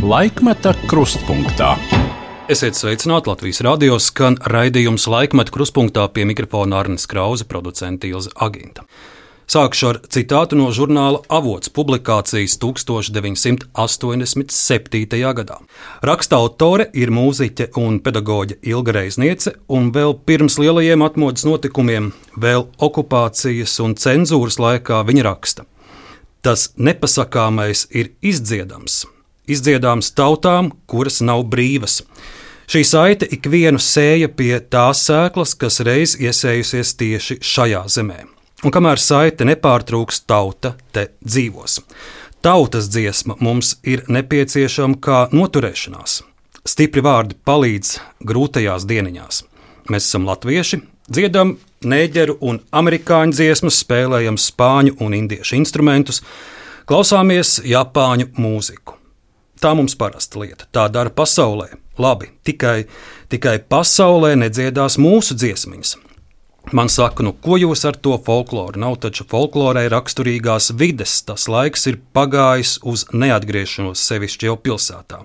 Laikmeta krustpunktā. Esiet sveicināti, Latvijas radio skan raidījums Laikmeta krustpunktā, pie mikrofona Arnis Krause, producente Ilze Aginta. Sākšu ar citātu no žurnāla Avots publikācijas 1987. gadā. Raksta autore ir mūziķe un pedagoģe Ilga Reizniece, un vēl pirms lielajiem atmodas notikumiem, vēl okupācijas un cenzūras laikā viņa raksta: tas nepasakāmais ir izdziedams. Izdziedāms tautām, kuras nav brīvas. Šī saite ikvienu sēja pie tās sēklas, kas reiz iesējusies tieši šajā zemē. Un kamēr saite nepārtrūks, tauta te dzīvos. Tautas dziesma mums ir nepieciešama kā noturēšanās. Stipri vārdi palīdz grūtajās dieniņās. Mēs esam latvieši, dziedam nēģeru un amerikāņu dziesmas, spēlējam spāņu un indiešu instrumentus, klausāmies japāņu mūziku. Tā mums parasta lieta, tā dara pasaulē. Labi, tikai pasaulē nedziedās mūsu dziesmiņas. Man saka, ko jūs ar to folkloru? Nav taču folklorē raksturīgās vides, tas laiks ir pagājis uz neatgriešanos, sevišķi jau pilsētā.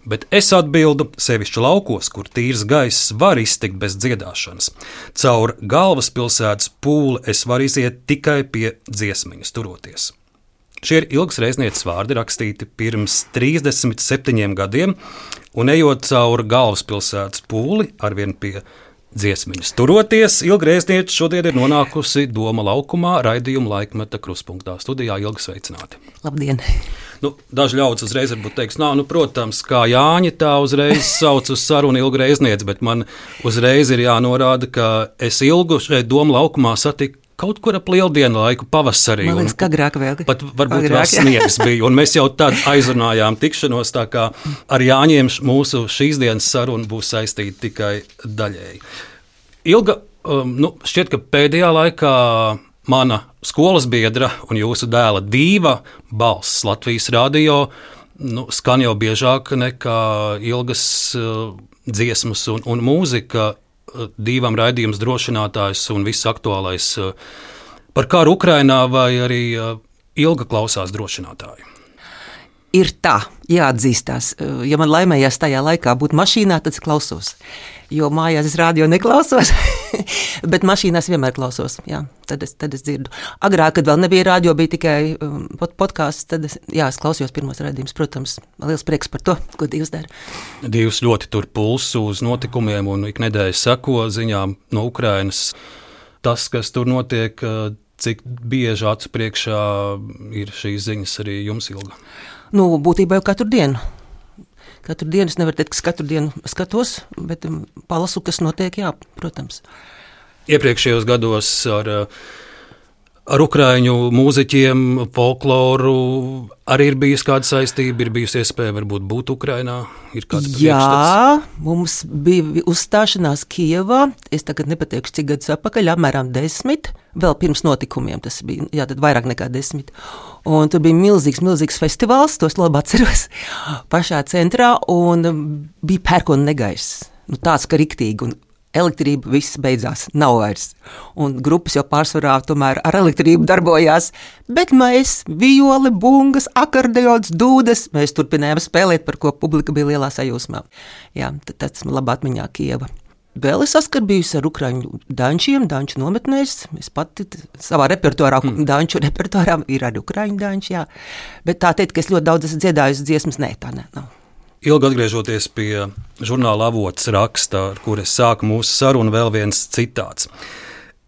Bet es atbildu, sevišķi laukos, kur tīrs gaiss var iztikt bez dziedāšanas. Caur galvaspilsētas pūli es varu iziet tikai pie dziesmiņas turoties. Šie ir Ilgas Reiznieces vārdi, rakstīti pirms 37 gadiem, un ejot cauri galvaspilsētas pūli, arvien pie dziesmiņas turoties, Ilga Reizniece šodien ir nonākusi Doma laukumā, raidījuma Laikmeta krustpunktā. Studijā Ilga, sveicināti. Labdien! Daži ļaudis uzreiz varbūt teiks, protams, kā Jāņa tā uzreiz sauc uz sarunu Ilga Reizniece, bet man uzreiz ir jānorāda, ka es Ilgu šeit Doma laukumā satiku kaut kur ap lieldienu laiku pavasarī. Man liekas, ka agrāk vēl. Pat varbūt vēl sniegs bija, un mēs jau tad aizrunājām tikšanos, tā kā ar Jāņiem mūsu šīs dienas saruna būs saistīta tikai daļēji. Ilga, šķiet, ka pēdējā laikā mana skolas biedra un jūsu dēla dīva balss Latvijas radio skan jau biežāk nekā Ilgas dziesmas un mūzika. Dīvam raidījums drošinātājs un viss aktuālais par karu Ukrainā, vai arī Ilga klausās drošinātāju? Ir tā, jāatzīstās. Ja man laimējās tajā laikā būt mašīnā, tad es klausos. Jo mājās es radio neklausos, bet mašīnās vienmēr klausos. Jā, tad es dzirdu. Agrāk, kad vēl nebija radio, bija tikai podkāsts, tad es klausījos pirmos raidījumus. Protams, liels prieks par to, ko Dievs dara. Dievs ļoti tur pulsu uz notikumiem un iknedēļ seko ziņām no Ukrainas. Tas, kas tur notiek, cik bieži acu priekšā ir šīs ziņas arī jums, Ilga? Būtībā jau katru dienu. Katru dienu es nevaru teikt, ka katru dienu skatos, bet palasu, kas notiek, jā, protams. Iepriekšējos gados ar ukraiņu mūziķiem, folkloru arī ir bijusi kāda saistība, ir bijusi iespēja varbūt būt Ukrainā? Ir kāds priekšstats? Jā, mums bija uzstāšanās Kijevā, es tagad nepateikšu, cik gadus atpakaļ, apmēram 10, vēl pirms notikumiem tas bija, jā, tad vairāk nekā 10. Un tur bija milzīgs festivāls, tos labi atceros, pašā centrā, un bija pērkona negaiss, tāds, ka riktīgi, un elektrība viss beidzās, nav vairs. Un grupas jau pārsvarā tomēr ar elektrību darbojās, bet mēs, violi, bungas, akordeons, dūdes, mēs turpinājām spēlēt, par ko publika bija lielā sajūsmā. Jā, tāds man labā atmiņā Kieva. Vēl es saskarbījusi ar ukraiņu dančiem, danču nometnēs. Es pati savā repertuārā, danču repertuārā ir arī ukraiņu danči, jā. Bet tā teikt, ka es ļoti daudz esmu dziedājusi dziesmas, tā nav. Ilgi atgriežoties pie žurnāla Avots raksta, ar kur es sāku mūsu sarunu, vēl viens citāts.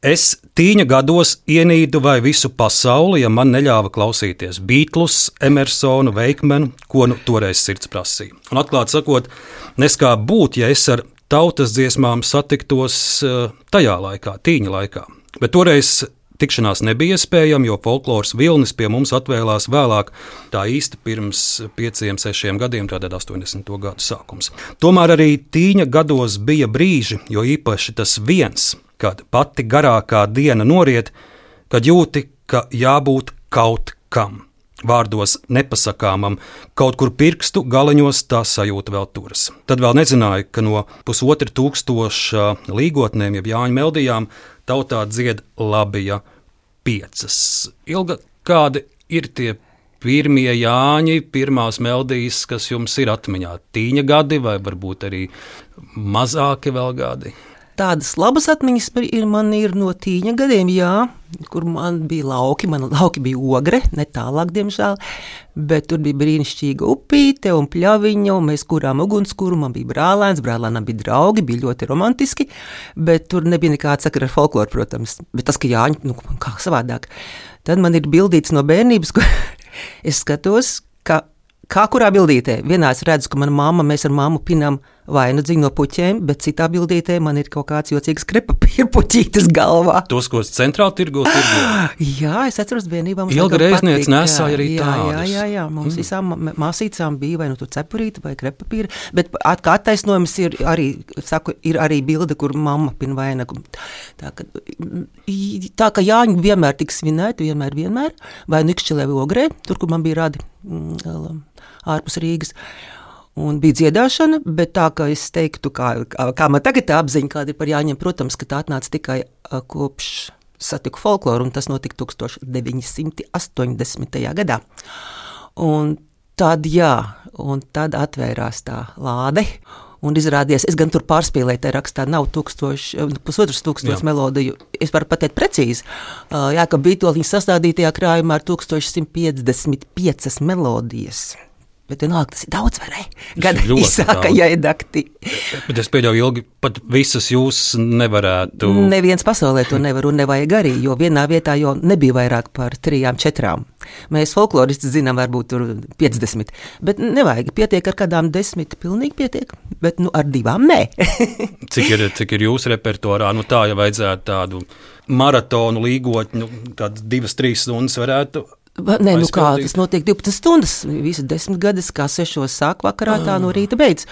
Es tīņa gados ienīdu vai visu pasauli, ja man neļāva klausīties Beatlus, Emersonu, Veikmenu, ko toreiz sirds prasīja. Un atklāt sakot, neskā būt, ja es ar tautas dziesmām satiktos tajā laikā, tīņa laikā. Bet toreiz tikšanās nebija iespējama, jo folkloras vilnis pie mums atvēlās vēlāk, tā īsti pirms 5-6 gadiem, tātad 80. gadu sākums. Tomēr arī tīņa gados bija brīži, jo īpaši tas viens, kad pati garākā diena noriet, kad jūti, ka jābūt kaut kam. Vārdos nepasakāmam, kaut kur pirkstu galeņos tā sajūta vēl turas. Tad vēl nezināju, ka no 1500 līgotnēm, jeb Jāņu meldijām, tautā dzied Labija 5. Ilga, kādi ir tie pirmie Jāņi, pirmās melodijas, kas jums ir atmiņā? Tīņa gadi vai varbūt arī mazāki vēl gadi? Tādas labas atmiņas man ir no tīņa gadiem, jā, kur man bija lauki. Man lauki bija Ogre, ne tālāk, diemžēl, bet tur bija brīnišķīga upīte un pļaviņa, un mēs kurām ugunskura, man bija brālēnam bija draugi, bija ļoti romantiski, bet tur nebija nekāda sakara ar folkloru, protams. Bet tas, ka Jāņi, kā savādāk. Tad man ir bildīts no bērnības, kur es skatos, kā kurā bildītē. Vienā es redzu, ka mēs ar mammu pinām vainu dziņu no puķēm, bet citā bildītē man ir kaut kāds jocīgs krepapīra puķītis galvā. Tos, ko centrāli tirgo? Jā, es atceros vienībā. Ilga reizniece nesāja arī tādus. Jā, mums visām māsīcām bija vai nu tur cepurīta vai krepapīra, bet kā attaisnojums ir arī bilde, kur mamma pina vainagu. Tā, ka Jāņi vienmēr tiks svinēti, vienmēr, vai nu Ikšķelē vai Ogrē, tur, kur man bija radi ārpus Rīgas. Un bija dziedāšana, bet tā, ka es teiktu, kā man tagad tā apziņa, kāda ir par Jāņiem, protams, ka tā atnāca tikai kopš satiku folkloru, un tas notika 1980. gadā. Un tad atvērās tā lāde, un izrādījās, es gan tur pārspīlēju, tā rakstā nav 1500 melodiju, es varu pateikt precīzi, Jākab Vītoliņa sastādītajā krājumā ir 1155 melodijas. Bet vienalga, tas ir daudz, vai ne? Gada īsākajai dakti. Bet es pieļauju, Ilgi, pat visas jūs nevarētu. Neviens pasaulē to nevar un nevajag arī, jo vienā vietā jau nebija vairāk par 3-4. Mēs folkloristi zinām, varbūt tur 50, bet nevajag, pietiek ar kādām 10, pilnīgi pietiek, bet ar 2 nē. Cik ir jūsu repertuārā? Tā, ja vajadzētu tādu maratonu līgotņu, tādas 2-3 stundas varētu. Nē, tas notiek 12 stundas, visas 10 gadus, kā 6 sāk vakarā, tā no rīta beidz.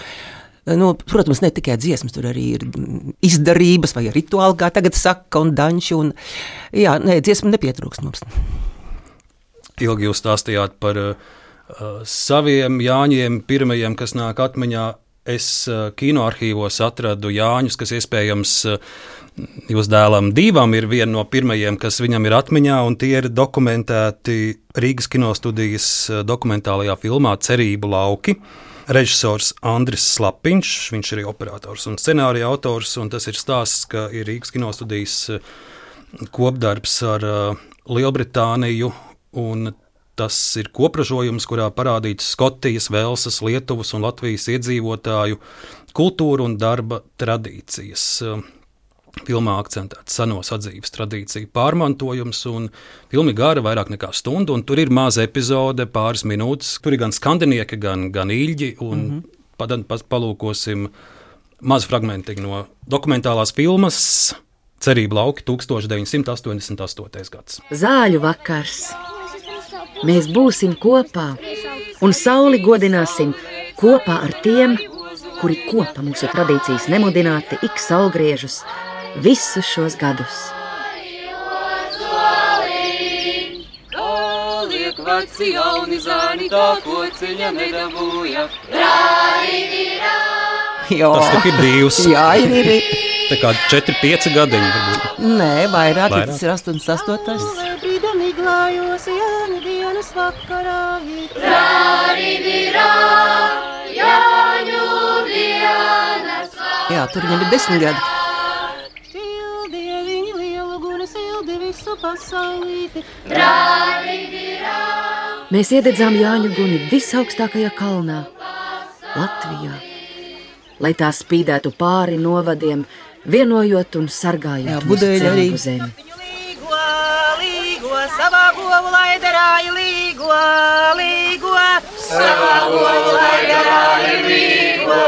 Protams, ne tikai dziesmas, tur arī ir izdarības vai rituāli, kā tagad saka, un daņši, dziesma nepietrūkst mums. Ilgi jūs stāstījāt par saviem Jāņiem, pirmajiem, kas nāk atmiņā. Es kinoarхīvos atradu Jāņus, kas iespējams jūs dēlam Dīvam ir viena no pirmajiem, kas viņam ir atmiņā, un tie ir dokumentēti Rīgas kinostudijas dokumentālajā filmā Cerību lauki. Režisors Andris Slapiņš, viņš ir operators un scenārija autors, un tas ir stāsts, ka ir Rīgas kinostudijas kopdarbs ar Lielbritāniju, un tas ir kopražojums, kurā parādīts Skotijas, Velsas, Lietuvas un Latvijas iedzīvotāju kultūra un darba tradīcijas. Filmā akcentēts seno sadzīves tradīciju pārmantojums, un filma gara vairāk nekā stundu, un tur ir maza epizode, pāris minūtes. Tur ir gan skandinieki, gan īļģi, un palūkosim mazu fragmentiņu no dokumentālās filmas Cerību lauki 1988. gads. Zāļu vakars. Mēs būsim kopā un sauli godināsim kopā ar tiem, kuri kopa mūsu tradīcijas nemudināti ik saulgriežus visus šos gadus. Veci jauni zāni, tā kociņa nedabūja. Tas tik ir divs. Jā, ir. Tā kā 4-5 gadiņi varbūt. Nē, vairāk. Tas ir 88. Glājos Jāņu dienas vakarā. Jāņu dienas vakarā. Jā, tur viņam ir 10 gadi. Sildie viņi lielu guni, sildi visu pasaulīti. Mēs iededzām Jāņu guni visaugstākajā kalnā, Latvijā, lai tā spīdētu pāri novadiem, vienojot un sargājot mūsu cilvēku zemi. Savā govu lai darāja līgo, savā govu lai darāja līgo,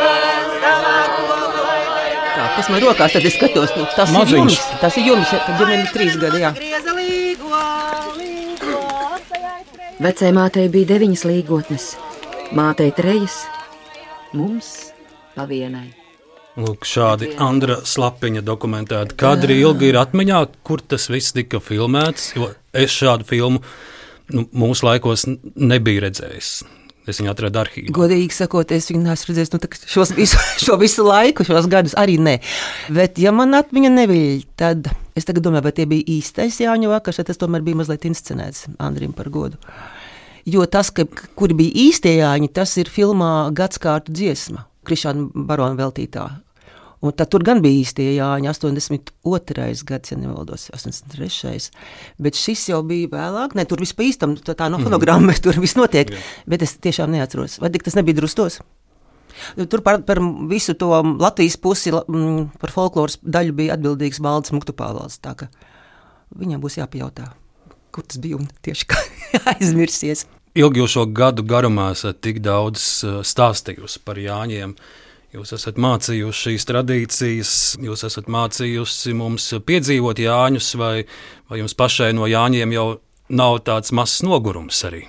savā govu lai darāja. Tā, kas man rokās, tad es skatos, tas ir jums, kad viņam ir 3 gadi, jā. Vecai mātei bija 9 līgotnes, mātei 3, mums pa vienai. Lūk, šādi Andra Slapiņa dokumentēti kadri. Ilgi ir atmiņā, kur tas viss tika filmēts, jo es šādu filmu mūsu laikos nebiju redzējis. Es viņu atradu arhīvā. Godīgi sakot, es viņu neesmu redzējis šo visu laiku, šos gadus arī ne. Bet, ja man atmiņa neviļ, tad es tagad domāju, vai tie bija īstais Jāņu vakars, vai tas tomēr bija mazliet inscenēts Andrim par godu. Jo tas, kuri bija īstie Jāņi, tas ir filmā Gadskārtu dziesma, Krišāna Barona veltītā. Un tad tur gan bija īstie Jāņi, 82. gads, ja nevaldos, 83. Bet šis jau bija vēlāk, ne, tur viss pa īstam, tā no fonogrammas, tur viss notiek, bet es tiešām neatceros. Vai tik tas nebija Drustos? Tur par visu to Latvijas pusi, par folkloras daļu bija atbildīgs Valdis Muktupāvals, tā ka viņam būs jāpajautā, kur tas bija un tieši kā aizmirsies. Ilgi jau šo gadu garumā esat tik daudz stāstījusi par Jāņiem. Jūs esat mācījuši šīs tradīcijas, jūs esat mācījusi mums piedzīvot Jāņus, vai jums pašai no Jāņiem jau nav tāds mazs nogurums arī?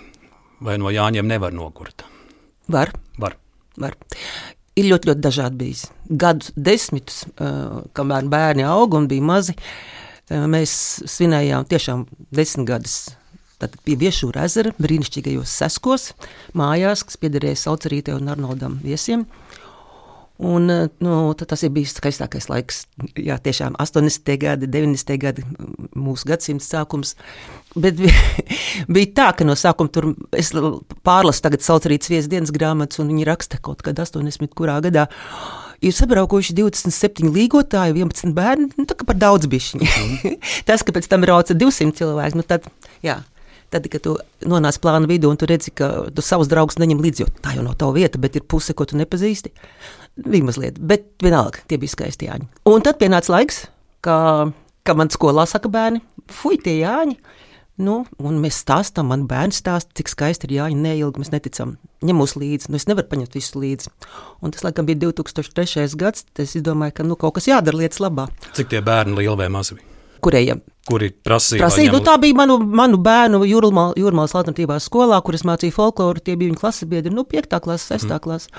Vai no Jāņiem nevar nogurt? Var. Ir ļoti, ļoti dažādi bijis. Gadu desmitus, kamēr bērni auga un bija mazi, mēs svinējām tiešām 10 gadus. Tad pie Viešūra ezera, brīnišķīgajos Seskos, mājās, kas piederēja Saucerītei un Arnoldam Viesiem. Un, tas ir bijis skaistākais laiks, jā, tiešām 80. gadi, 90. gadi, mūsu gadsimta sākums. Bet bija tā, ka no sākuma tur es pārlasu tagad Saucerītes Viesu dienas grāmatas, un viņi raksta kaut kad 80. kurā gadā. Ir sabraukuši 27 līgotāji, 11 bērni, tā kā par daudz bišķiņi. Tas, ka pēc tam brauca 200 cilvēki, tad, jā. Tad, kad tu nonāc plāna vidū un tu redzi, ka tu savus draugus neņem līdzi, jo tā jau nav tava vieta, bet ir puse, ko tu nepazīsti, bija mazliet, bet vienalga, tie bija skaisti Jāņi. Un tad pienāca laiks, ka man skolā saka bērni, fuj, tie Jāņi, un mēs stāstam, man bērni stāsta, cik skaisti ir Jāņi, neilgi mēs neticam, ņem mūs līdzi, es nevaru paņemt visu līdzi. Un tas, laikam, bija 2003. gads, es izdomāju, ka kaut kas jādara lietas labā. Cik tie bērni lieli vai mazi bija? Kurējiem? Kuri prasīja? Tā bija manu bērnu Jūrmalas alternatīvā skolā, kur es mācīju folkloru, tie bija viņa klases biedri, 5. klases, 6. klases.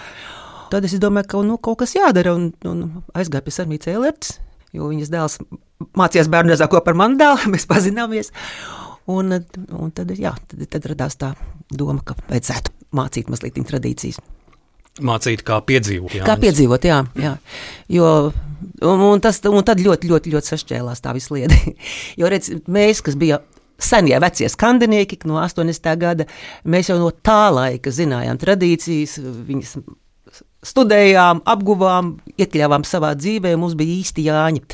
Tad es domāju, ka kaut kas jādara, un aizgāju pie Sarmītes Eilertes, jo viņas dēls mācījās bērnu dārzā kopā ar manu dēlu, mēs pazināmies. Un tad radās tā doma, ka vajadzētu mācīt mazliet tradīcijas. Mācīt, kā piedzīvot. Kā piedzīvot, jā. Jo, un tad ļoti, ļoti, ļoti sašķēlās tā visa lieta. Jo, redz, mēs, kas bija senie vecie skandinieki no 80. gada, mēs jau no tā laika zinājām tradīcijas, viņas studējām, apguvām, iekļāvām savā dzīvē, mums bija īsti Jāņi.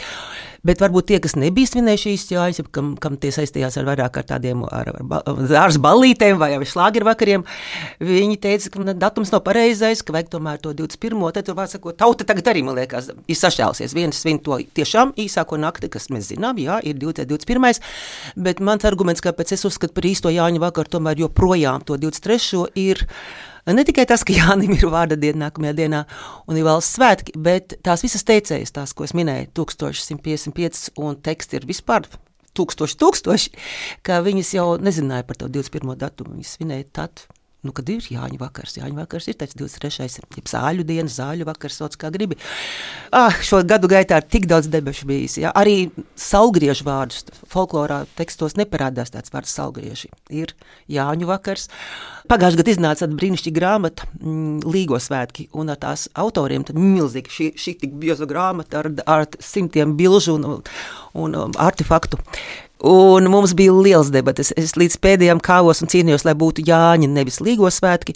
Bet varbūt tie, kas nebija svinējuši īsti Jāņus, kam tie saistījās ar vairāk ar tādiem ārz ballītēm vai šlāgeru vakariem, viņi teica, ka datums nav pareizais, ka vajag tomēr to 21. Tad tur vārds sakot, tauta tagad arī, man liekas, ir sašķēlusies. Viens svin to tiešām īsāko nakti, kas mēs zinām, jā, ir 21. Bet mans arguments, kāpēc es uzskatu par īsto Jāņu vakaru, tomēr joprojām to 23. ir ne tikai tas, ka Jānim ir vārda diena nākamajā dienā un ir valsts svētki, bet tās visas teicējas, tās, ko es minēju, 1155 un teksti ir vispār tūkstoši, ka viņas jau nezināja par to 21. datumu, viņas svinēja tad, kad ir Jāņu vakars. Jāņu vakars ir tāds 23. jeb zāļu diena, zāļu vakars, sauc kā gribi. Šo gadu gaitā ir tik daudz debešu bijis. Jā. Arī saulgriežu vārdus folklorā tekstos neparādās tāds vārds saulgrieži. Ir Jāņu vakars. Pagājušajā gadā iznāca tāda brīnišķīga grāmata Līgo svētki, un ar tās autoriem tad milzīgi šī tik bioza grāmata ar simtiem bilžu un artefaktu. Un mums bija liels debates. Es līdz pēdējām kāvos un cīnījos, lai būtu Jāņi, nevis Līgo svētki.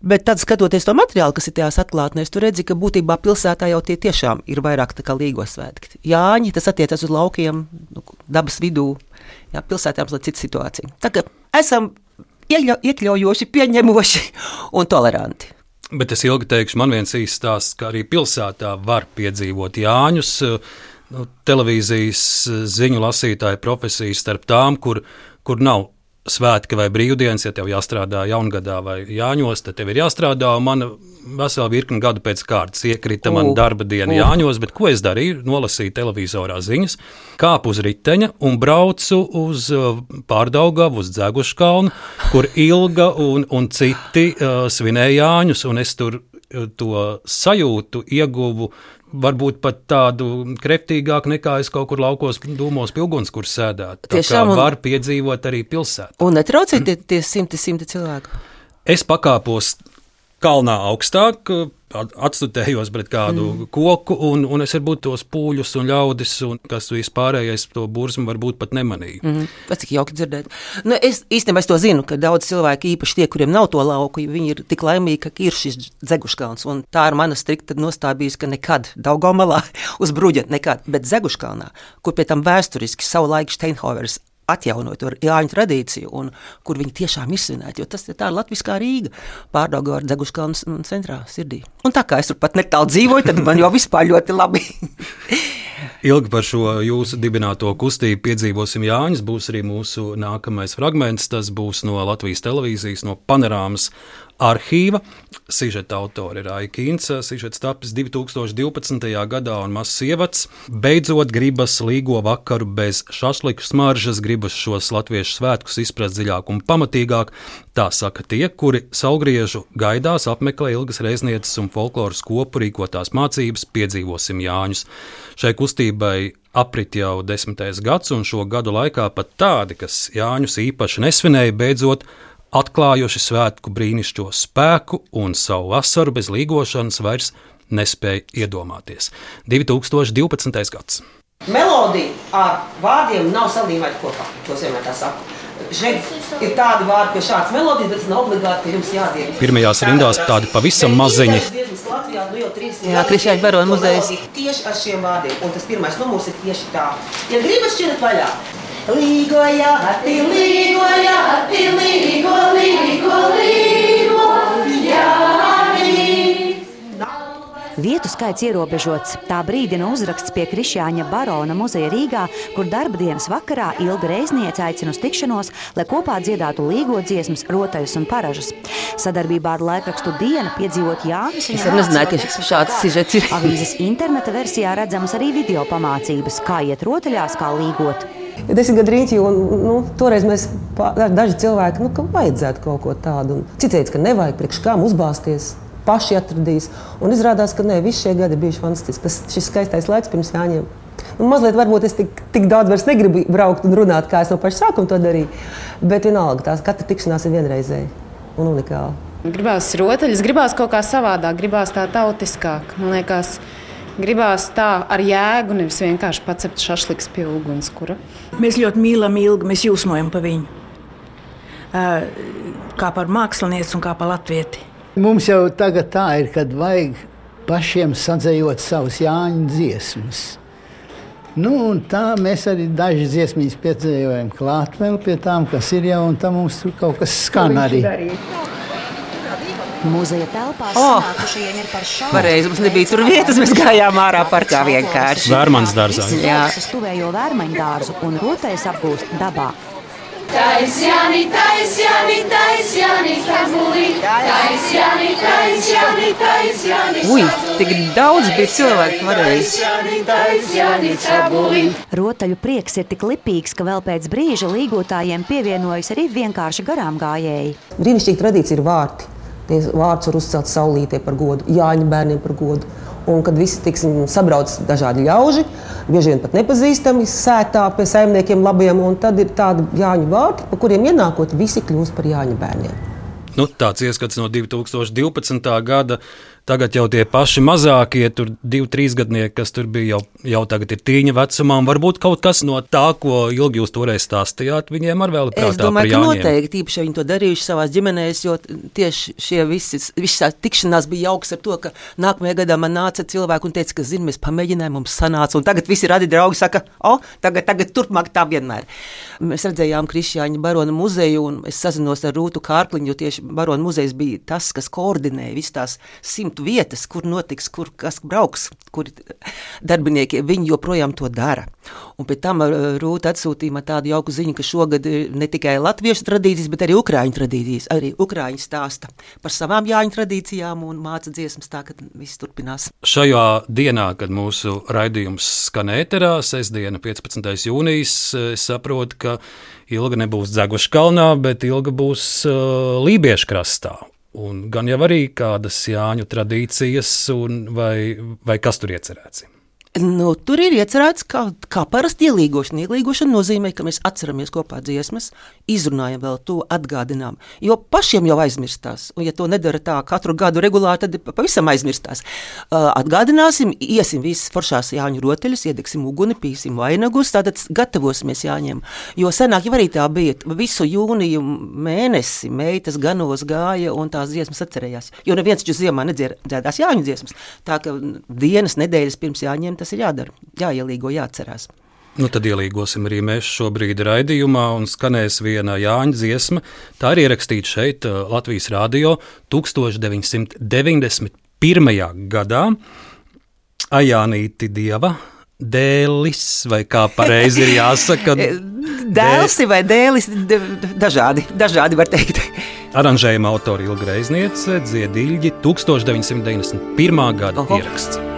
Bet tad, skatoties to materiālu, kas ir tajās atklātnēs, tu redzi, ka būtībā pilsētā jau tie tiešām ir vairāk tā kā Līgo svētki. Jāņi, tas attiecas uz laukiem, dabas vidū. Jā, pilsētām ir cita situācija. Tā kā esam iekļaujoši, pieņemoši un toleranti. Bet es ilgi teikšu, man viens īsts stāsts, ka arī pilsētā var piedzīvot Jāņus. Televīzijas ziņu lasītāja profesija starp tām, kur nav svētki vai brīvdienas, ja tev jāstrādā jaungadā vai Jāņos, tad tev ir jāstrādā, un man vesela virkni gadu pēc kārtas iekrita man darba diena Jāņos, bet ko es darīju? Nolasīju televizorā ziņas, kāpu uz riteņa un braucu uz Pārdaugavu, uz Dzeguškalnu, kur Ilga un citi svinēja Jāņus, un es tur to sajūtu ieguvu varbūt pat tādu kreptīgāku nekā es kaut kur laukos dūmos pilguns, kur sēdētu. Tā kā var piedzīvot arī pilsētā. Un netraucēt tie simti cilvēku? Es pakāpos kalnā augstāk atstutējos pret kādu koku, un es varbūt tos pūļus un ļaudis, un kas tu vispārējais to burzmu varbūt pat nemanīju. Tas cik jauki dzirdēt. Nu, es to zinu, ka daudz cilvēki, īpaši tie, kuriem nav to lauku, viņi ir tik laimīgi, ka ir šis Dzeguškalns, un tā ir mana strikta nostāja bijusi, ka nekad Daugavmalā uz bruģa nekad, bet Dzeguškalnā, kur pie tam vēsturiski savu laiku Steinhovers atjaunot to Jāņu tradīciju, un kur viņi tiešām ir svinēti, jo tas ir tā latviskā Rīga, Pārdaugava ar Dzeguškalnas centrā, sirdī. Un tā kā es tur pat netālu dzīvoju, tad man jau vispār ļoti labi. Ilgi par šo jūsu dibināto kustību piedzīvosim Jāņus, būs arī mūsu nākamais fragments, tas būs no Latvijas televīzijas, no Panorāmas arhīva. Sižeta autori ir Aija Kīnce, sižets tapis 2012. gadā un mazs ievads. Beidzot gribas līgo vakaru bez šašliku smaržas, gribas šos latviešu svētkus izprast dziļāk un pamatīgāk. Tā saka tie, kuri Saulgriežu gaidās apmeklē Ilgas Reiznieces un folkloras kopu rīkotās mācības Piedzīvosim Jāņus. Šai kustībai aprit jau 10. gads, un šo gadu laikā pat tādi, kas Jāņus īpaši nesvinēja, beidzot atklājuši svētku brīnišķo spēku un savu vasaru bez līgošanas vairs nespēja iedomāties. 2012. gads. Melodija ar vārdiem nav salīmēta kopā, to vienmēr tā saku. Šeit ir tādi vārdi, ka šāds melodijas, bet tas nav obligāti, ka jums jādiek. Pirmajās rindās tādi pavisam maziņi. Jā, Krišjāņa Barona muzejs. Tieši ar šiem vārdiem, un tas pirmais numurs ir tieši tā. Ja gribas šķirat vaļā, līgo jāti, līgo jāti, līgo, līgo, līgo, jāti. Vietu skaits ierobežots. Tā brīdina uzraksts pie Krišjāņa Barona muzeja Rīgā, kur darba dienas vakarā Ilga Reizniece aicina uz tikšanos, lai kopā dziedātu līgo dziesmas, rotaļus un paražas. Sadarbībā ar laikrakstu Diena piedzīvot Jāņus. Es nezināju, ka šāds sižets ir. Avīzes interneta versijā redzamas arī video pamācības, kā iet rotaļās, kā līgot. 10 gadu rīķi, un toreiz mēs daži cilvēki, ka vajadzētu kaut ko tādu. Cits teica, ka nevajag priekš kām uzbāzties. Paši atradīs. Un izrādās, ka nē, visi šie gadi bijuši fantastiski. Šis skaistais laiks pirms Jāņiem. Mazliet varbūt es tik daudz vairs negribu braukt un runāt, kā es no paša sākuma to darīju. Bet vienalga, tās katra tikšanās ir vienreizēja un unikāla. Gribās rotaļas, gribās kaut kā savādāk, gribās tā tautiskāk. Man liekas, gribās tā ar jēgu, nevis vienkārši pacept šašliks pie ugunskura. Mēs ļoti mīlam Ilgu, mēs jūsmojam pa viņu. Kā par mākslinieci un kā par latvieti. Mums jau tagad tā ir, kad vajag pašiem sadzējot savus Jāņu dziesmas. Un tā mēs arī daži dziesmīs piedzējojam klāt vēl pie tām, kas ir jau, un tam mums tur kaut kas skan arī. Muzeja telpās sanākušajiem ir par šaubu. Pareizi, mums nebija tur vietas, mēs gājām ārā parkā vienkārši. Vērmaņas dārzā. Jā. Stuvējo vērmaņu dārzu un rotaļas apgūst dabā. Taisjani, taisjani, taisjani, tabuli, taisjani, taisjani, taisjani. Ui, tik daudz bija cilvēku pareizi. Taisjani, taisjani, tabuli. Rotaļu prieks ir tik lipīgs, ka vēl pēc brīža līgotājiem pievienojas arī vienkārši garām gājēji. Brīnišķīga tradīcija ir vārti. Tie vārds var uzcelt saulītē par godu, Jāņu bērniem par godu. Un kad visi sabrauc dažādi ļauži, bieži vien pat nepazīstami, sētā pie saimniekiem labiem, un tad ir tādi Jāņu vārti, pa kuriem ienākot visi kļūst par Jāņu bērniem. Tāds ieskats no 2012. gada. Tagad jau tie paši mazākie, tur 2-3 gadnieki, kas tur bija, jau tagad ir tīņa vecumā. Varbūt kaut kas no tā, ko Ilgi jūs toreiz stāstījāt, viņiem ar vēl ir prātā par Jāņiem. Es domāju, ka noteikti, īpaši viņi to darījuši savās ģimenēs, jo tieši šie visas tikšanās bija jauks ar to, ka nākamajā gadā man nāca cilvēki un teica, ka, mēs pamēģinājām, mums sanāca, un tagad visi radi draugi saka, tagad turpmāk tā vienmēr. Mēs redzējām Krišjāņa Barona muzeju, un es sazinos ar Rūtu Kārkliņu, jo tieši Barona muzejs bija tas, kas koordinēja visas tās 100 vietas, kur notiks, kur kas brauks, kur darbinieki, viņi joprojām to dara. Un pēc tam Rūta atsūtīja man tādu jauku ziņu, ka šogad ne tikai latviešu tradīcijas, bet arī ukrāņu tradīcijas. Arī ukrāņi stāsta par savām Jāņu tradīcijām un māca dziesmas, tā, ka viss turpinās. Šajā dienā, kad mūsu raidījums skan ēterā, sestdiena 15. jūnijas, es saprotu, ka Ilga nebūs Dzeguškalnā, bet Ilga būs Lībiešu krastā. Un gan jau arī kādas Jāņu tradīcijas, vai kas tur iecerēts? Tur ir iecerēts, kā parasti ielīgošana. Ielīgošana nozīmē, ka mēs atceramies kopā dziesmas, izrunājam vēl to, atgādinām. Jo pašiem jau aizmirstās. Un, ja to nedara tā katru gadu regulāri, tad pavisam aizmirstās. Atgādināsim, iesim visas foršās Jāņu rotaļas, iedegsim uguni, pīsim vainagus, tātad gatavosimies Jāņiem. Jo senāk jau arī tā bija. Visu jūniju mēnesi meitas ganos gāja un tās dziesmas atcerējās. Jo neviens taču ziemā nedziedās Jāņu dziesmas. Tā ka dienas, nedēļas pirms Jāņiem tas ir jādara, jāielīgo, jāatcerās. Tad ielīgosim arī mēs šobrīd raidījumā un skanēs viena Jāņa dziesma. Tā ir ierakstīta šeit Latvijas radio 1991. gadā. Ajānīti Dieva dēlis, vai kā pareizi ir jāsaka? Dēlsi vai dēlis, dažādi var teikt. Aranžējuma autori Ilga Reizniece, Dziediļģi, 1991. gada ieraksts.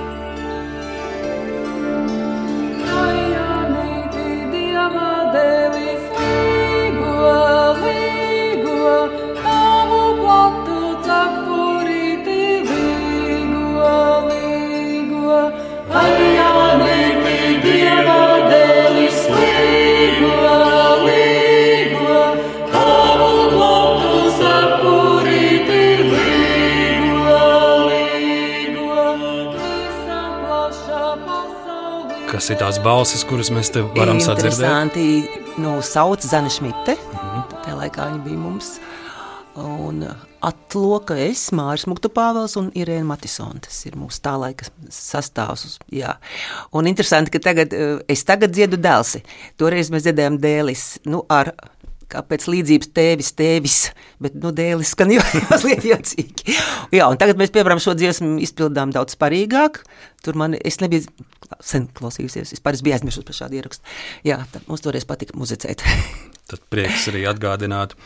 Kas ir tās balsis, kuras mēs te varam sadzirdēt? Interesanti, sauc Zana Šmite, tajā laikā viņa bija mums, un atloka es, Māris Muktupāvels un Irēna Matisona, tas ir mūsu tā laika sastāvs, jā. Un interesanti, ka es tagad dziedu dēlsi, toreiz mēs dziedējām dēlis, kāpēc līdzības tēvis, bet dēlis skan jau mazliet jocīgi. Jā, un tagad mēs, piemēram, šo dziesmu izpildām daudz sparīgāk. Tur es nebiju sen klausījusies, es biju aizmirsus par šādu ierakstu. Jā, mums toreiz patika muzicēt. Tad prieks arī atgādināt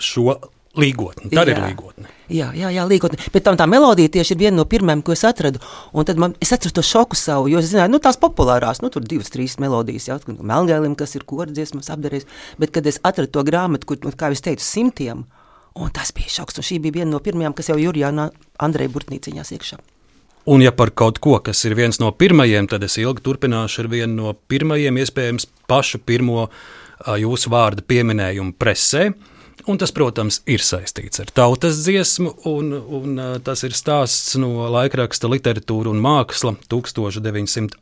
šo līgotni. Tā ir līgotne. Jā, līgotne. Bet tā melodija tieši ir viena no pirmajām, ko es atradu. Un tad es atceros to šoku savu, jo es zināju, tās populārās, tur 2-3 melodijas, Melngailim, kas ir kordziesmas apdarējis. Bet, kad es atradu to grāmatu, kur, kā es teicu, 100, un tas bija šoks. Un šī bija viena no pirmajām, kas jau Jurijāna Andreja Burtnīciņās iekšā. Un ja par kaut ko, kas ir viens no pirmajiem, tad es ilgi turpināšu ar vienu no pirmajiem, iespējams, pašu pirmo jūsu vārda pieminējumu presē. Un tas, protams, ir saistīts ar tautas dziesmu, un tas ir stāsts no laikraksta Literatūra un māksla 1980.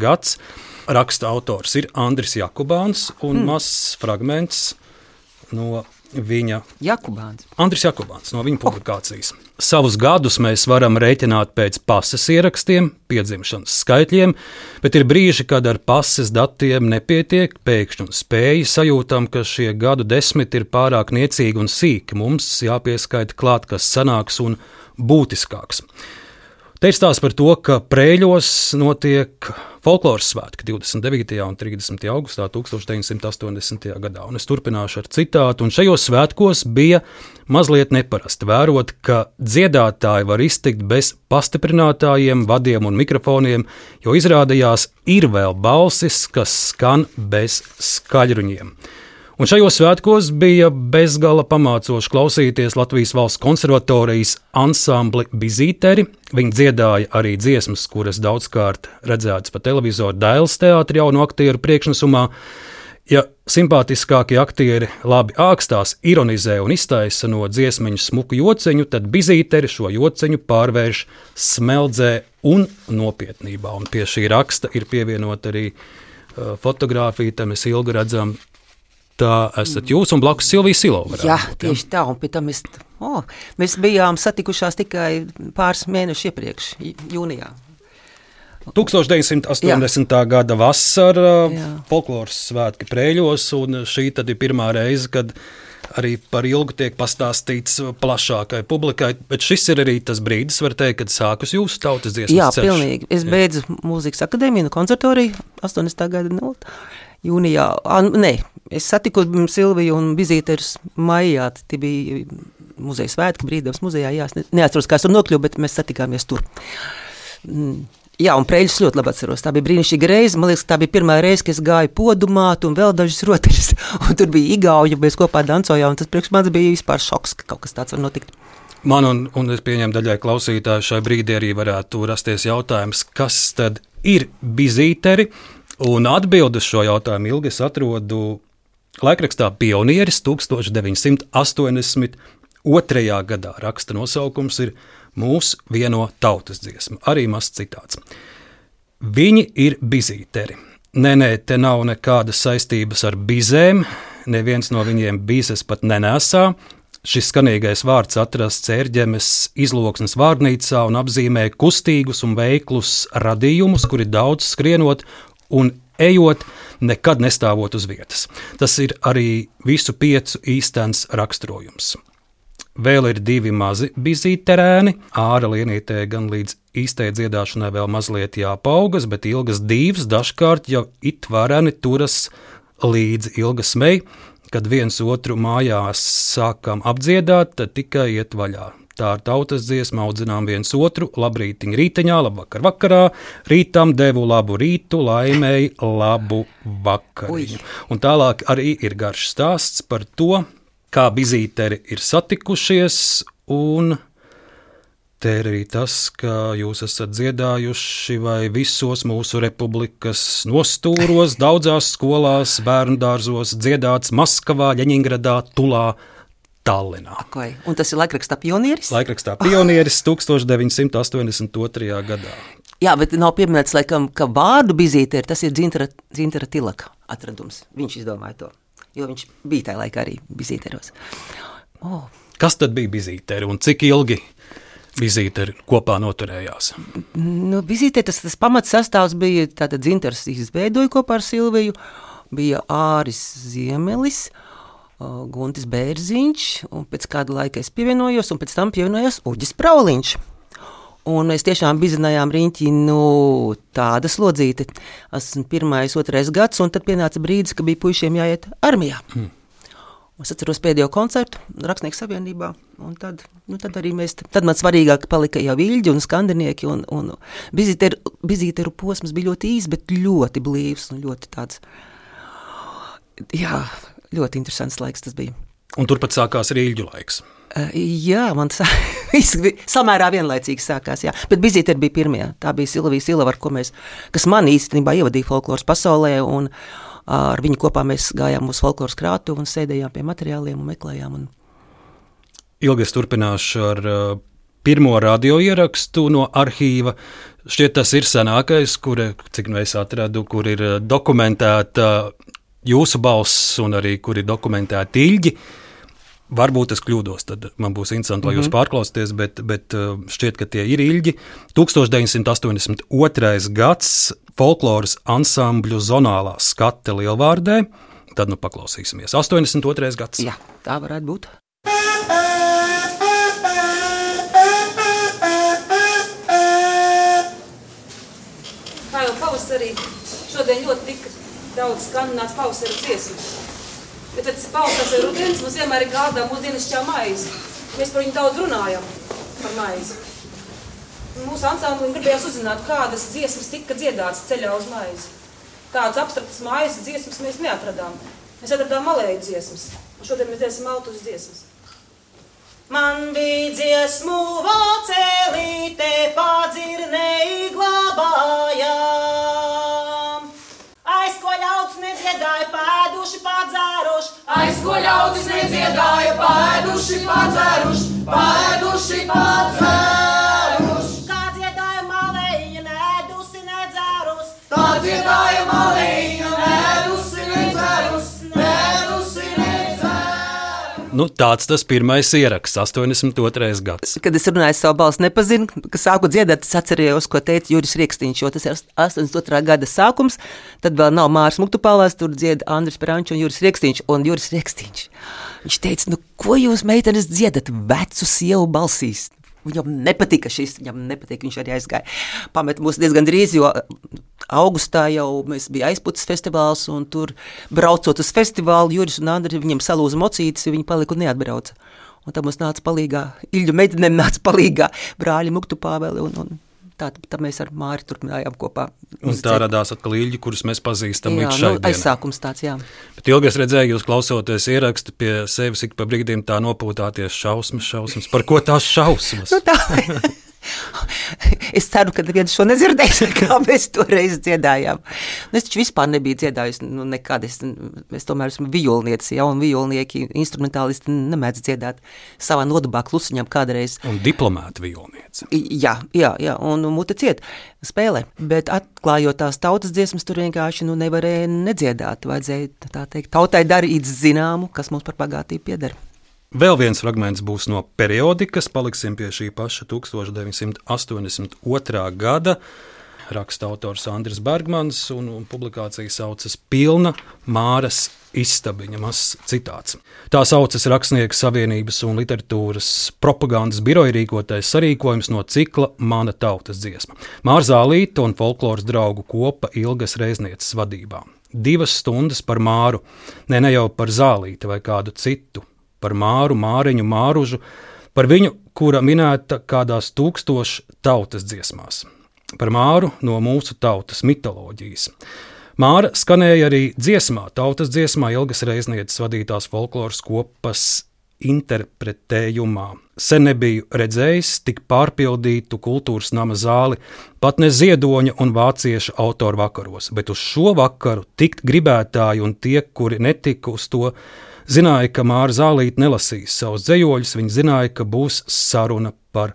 gads. Raksta autors ir Andris Jakubāns, un mazs fragments no viņa Andris Jakubāns, no viņa publikācijas. Savus gadus mēs varam rēķināt pēc pases ierakstiem, piedzimšanas skaitļiem, bet ir brīži, kad ar pases datiem nepietiek, pēkšņi un spēji sajūtam, ka šie gadu desmiti ir pārāk niecīgi un sīki. Mums jāpieskaita klāt, kas sanāks un būtiskāks. Te ir stāsts par to, ka Prēļos notiek folkloras svētki 29. un 30. augustā 1980. gadā. Un es turpināšu ar citātu. Un šajos svētkos bija mazliet neparasti vērot, ka dziedātāji var iztikt bez pastiprinātājiem, vadiem un mikrofoniem, jo izrādījās ir vēl balsis, kas skan bez skaļruņiem. Un šajos svētkos bija bezgala pamācoši klausīties Latvijas Valsts konservatorijas ansambli Bizīteri. Viņi dziedāja arī dziesmas, kuras daudzkārt redzētas pa televizoru Dailes teātra jaunu aktieru priekšnesumā. Ja simpātiskākie aktieri labi ākstās, ironizē un iztaisa no dziesmiņu smuku jociņu, tad Bizīteri šo jociņu pārvērš smeldzē un nopietnībā. Un pie šī raksta ir pievienot arī fotogrāfija, te mēs ilgi redzam. Tā esat jūs un blakus Silvija Silova. Jā, tieši tā, un pēc tam mēs bijām satikušās tikai pāris mēnešus iepriekš, jūnijā. 1980. gada vasara, folkloras svētki Prēļos, un šī tad ir pirmā reize, kad arī par Ilgu tiek pastāstīts plašākai publikai, bet šis ir arī tas brīdis, var teikt, kad sākus jūsu tautas dziesmas ceļš. Jā, pilnīgi. Es beidzu mūzikas akadēmiju, konservatoriju 80. gada jūnijā. Es satiku Silviju un Bizīterus maijā, tie bija muzeja svētki, Brīvdabas muzejā, jā, es neatceros, kā es tur nokļuvu, bet mēs satikāmies tur. Jā, un Prēļus ļoti labi atceros, tā bija brīnišķīga reize, man liekas, tā bija pirmā reize, kad es gāju podumāt un vēl dažas rotaļas, un tur bija igauņi, mēs kopā dancojām, un tas priekš manis bija vispār šoks, ka kaut kas tāds var notikt. Man un es pieņemu daļai klausītāju šai brīdī arī varētu rasties jautājums, kas tad ir bizīteri, un atbildi uz šo jautājumu ilgi es atrodu laikrakstā Pionieris 1982. gadā. Raksta nosaukums ir Mūs vieno tautas dziesma, arī mazs citāts. Viņi ir bizīteri. Nē, te nav nekādas saistības ar bizēm, neviens no viņiem bīzes pat nenēsā. Šis skanīgais vārds atrasts Ērģemes izloksnes vārnīcā un apzīmē kustīgus un veiklus radījumus, kuri daudz skrienot un ejot, nekad nestāvot uz vietas. Tas ir arī visu 5 īstenis raksturojums. Vēl ir 2 mazi bizīterēni, āra lienītē gan līdz īstai dziedāšanai vēl mazliet jāpaugas, bet Ilgas dīvs dažkārt jau it vareni turas līdzi Ilgas mei, kad viens otru mājās sākam apdziedāt, tad tikai iet vaļā. Tā ir tautas dziesma, audzinām viens otru, labrītiņ rīteņā, labvakar vakarā, rītam devu labu rītu, laimēji labu vakariņu. Un tālāk arī ir garš stāsts par to, kā bizīteri ir satikušies, un te ir arī tas, ka jūs esat dziedājuši vai visos mūsu republikas nostūros, daudzās skolās, bērndārzos, dziedāts Maskavā, Ļeņingradā, Tulā, Tallinā. Okay. Un tas ir laikrakstā Pionieris? Laikrakstā Pionieris 1982. gadā. Jā, bet nav pieminēts, laikam, ka vārdu bizīteri, tas ir Dzintara Tilaka atradums. Viņš izdomāja to. Jo viņš bija tajā laikā arī bizīteros. Oh. Kas tad bija bizīteri un cik ilgi bizīteri kopā noturējās? Nu, bizīteri tas pamats sastāvs bija, tātad Dzintars izveidoja kopā ar Silviju, bija Āris Ziemelis, Guntis Bērziņš, un pēc kāda laika es pievienojos, un pēc tam pievienojos Uģis Prauliņš. Un mēs tiešām bizinājām riņķi, tāda slodzīte. Esmu 1., 2. gads, un tad pienāca brīdis, ka bija puišiem jāiet armijā. Es atceros pēdējo koncertu Rakstnieku savienībā, un tad arī mēs, tad man svarīgāk palika jau Viļģi un skandinieki, un bizīteru posms bija ļoti īs, bet ļoti blīvs, un ļoti tāds, jā, ļoti interesants laiks tas bija. Un turpat sākās arī Ilģu laiks. Jā, man samērā vienlaicīgi sākās, jā. Bet bizīteri bija pirmie. Tā bija Silvija Silava, kas man īstenībā ievadīja folkloras pasaulē, un ar viņu kopā mēs gājām uz folkloras krātuvi un sēdējām pie materiāliem un meklējām. Ilgi es turpināšu ar pirmo radio ierakstu no arhīva. Šķiet, tas ir senākais, cik nu es atradu, kur ir dokumentēta jūsu balss un arī kur ir dokumentēta Ilģi. Varbūt es kļūdos, tad man būs interesanti, lai jūs pārklausieties, bet šķiet, ka tie ir Ilģi. 1982. gads folkloras ansambļu zonālā skate Lielvārdē. Tad paklausīsimies. 82. gads. Jā, tā varētu būt. Kā jau pavasarī, šodien ļoti tika daudz skandināts pavasara dziesmu. Bet tad pavasars vai rudens mums vienmēr ir gādā mūsu dienasčā maizi. Mēs par viņu daudz runājam, par maizi. Mūsu ansamblim gribējās uzzināt, kādas dziesmas tika dziedātas ceļā uz maizi. Tādas abstraktas maizes dziesmas mēs neatradām. Mēs atradām malēju dziesmas. Un šodien mēs dziesam altus dziesmas. Man bija dziesmu vocelīte, padzirnei glabājām. Aiz ko ļauts nedziedāja, pēduši padzēruši. Aiz ko ļauts nedziedāja, pēduši padzēruši. Pēduši padzēruši. Kā dziedāja malēja, nedusi nedzērus. Tā dziedāja malēja, nedusi nedzērus. Nedusi nedzērus. Tāds tas pirmais ieraksts, 82. gads. Kad es runāju savu balsi, nepazinu, ka sāku dziedāt, es atcerējos, ko teica Juris Riekstīņš, jo tas ir 82. gada sākums, tad vēl nav Māris Muktupālās, tur dzied Andris Perančs un Juris Riekstīņš, viņš teica, ko jūs, meitenes, dziedat vecu sievu balsīs? Viņam nepatika viņš arī aizgāja. Pamet mūs diezgan drīz, jo augustā jau mēs bija aizputas festivāls, un tur braucot uz festivālu, Juris un Andri viņam salūza mocītes, viņi palika un neatbrauca. Un tad mums nāca palīgā, Ilģu meitenēm nāca palīgā brāļi Muktupāveli, un tā mēs ar Māri turpinājām kopā. Un tā radās atkal Ilģi, kurus mēs pazīstam līdz šai dienai. Aizsākums tāds, jā. Bet Ilgi, es redzēju, jūs klausoties ierakstu pie sevis ik pa brīdim tā nopūtāties šausmas. Par ko tās šausmas? Tā. Es ceru, ka neviens šo nedzirdēs, kā mēs toreiz dziedājām. Es taču vispār nebiju dziedājusi nekad. Es tomēr esmu violniece, ja, un violnieki, instrumentālisti nemēdz dziedāt savā nodabā klusiņām kādreiz. Un diplomāta violniece. Jā, un mute ciet spēlē. Bet atklājot tās tautas dziesmas, tur vienkārši nevarēja nedziedāt. Vajadzēja, tā teikt, tautai darīt zināmu, kas mums par bagātību pieder. Vēl viens fragments būs no periodikas, paliksim pie šī paša 1982. gada. Raksta autors Andris Bergmans, un publikācija saucas Pilna Māras istabiņa, mazs citāts. Tā saucas Rakstnieku savienības un literatūras propagandas biroja rīkotais sarīkojums no cikla Mana tautas dziesma. Māra Zālīte un folkloras draugu kopa Ilgas Reiznieces vadībā. 2 stundas par Māru, ne jau par Zālīti vai kādu citu. Par Māru, Māriņu, Māružu, par viņu, kura minēta kādās 1000 tautas dziesmās. Par Māru no mūsu tautas mitoloģijas. Māra skanēja arī dziesmā, tautas dziesmā Ilgas Reiznieces vadītās folkloras kopas interpretējumā. Sen nebiju redzējis tik pārpildītu kultūras nama zāli, pat ne ziedoņa un vācieša autoru vakaros, bet uz šo vakaru tikt gribētāji un tie, kuri netika uz to, zināja, ka Māra Zālīte nelasīs savus dzejoļus, viņi zināja, ka būs saruna par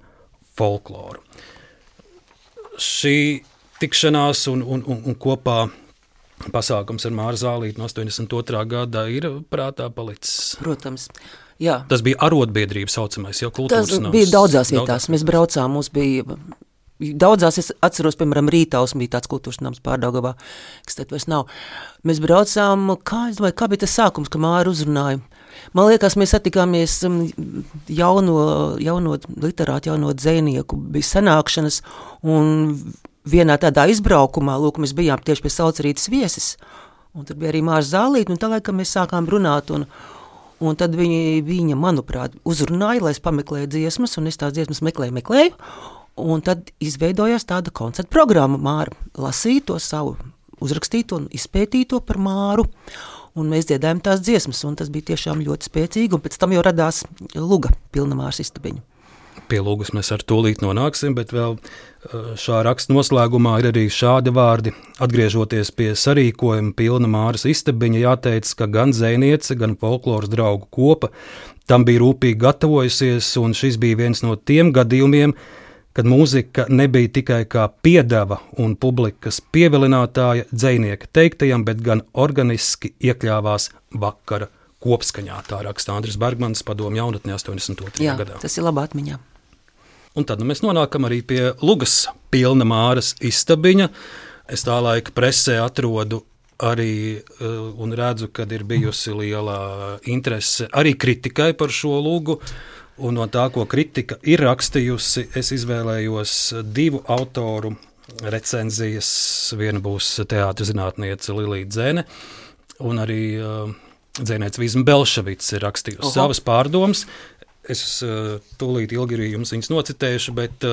folkloru. Šī tikšanās un kopā pasākums ar Māru Zālīti no 82. gada ir prātā palicis. Protams, jā. Tas bija arotbiedrība saucamais, jau kultūras nams. Tas bija daudzās vietās. Mēs braucām, mums bija daudzās, es atceros, piemēram, Rītaus bija tāds kultūras nams Pārdaugavā, kas tad vairs nav. Mēs braucām, kā bija tas sākums, ka Māra uzrunāja. Man liekas, mēs satikāmies jauno literātu, jauno dzejnieku, bija sanākšanas, un vienā tādā izbraukumā, lūk, mēs bijām tieši pie Saucerītes viesis, un tur bija arī Māra Zālīte, un tā laikam mēs sākām runāt, un tad viņa, manuprāt, uzrunāja, lai es pameklēju dziesmas, un es tās dziesmas meklēju, un tad izveidojās tāda koncerta programma. Māra lasīja to savu uzrakstīto un izpētīto par Māru, un mēs dziedājām tās dziesmas, un tas bija tiešām ļoti spēcīgi, un pēc tam jau radās luga, Pilna Māras istabiņa. Pie lugas mēs ar tūlīt nonāksim, bet vēl šā raksta noslēgumā ir arī šādi vārdi. Atgriežoties pie sarīkojuma Pilna Māras istabiņa, jāteic, ka gan dzejniece, gan folkloras draugu kopa tam bija rūpīgi gatavojusies, un šis bija viens no tiem gadījumiem, kad mūzika nebija tikai kā piedeva un publikas pievilinātāja dzejnieka teiktajam, bet gan organiski iekļāvās vakara kopskaņā. Tā raksta Andris Bergmans, Padomu jaunatnē 82. gadā. Jā, tas ir labā atmiņā. Un tad mēs nonākam arī pie lugas Pilna Māras istabiņa. Es tā laika presē atrodu arī un redzu, kad ir bijusi liela interese arī kritikai par šo lugu. Un no tā, ko kritika ir rakstījusi, es izvēlējos 2 autoru recenzijas. Viena būs teātris zinātniece Lilija Dzene, un arī dzejniece Vizma Belševics ir rakstījusi savas pārdomas. Es tūlīt ilgi jums viņas nocitējuši, bet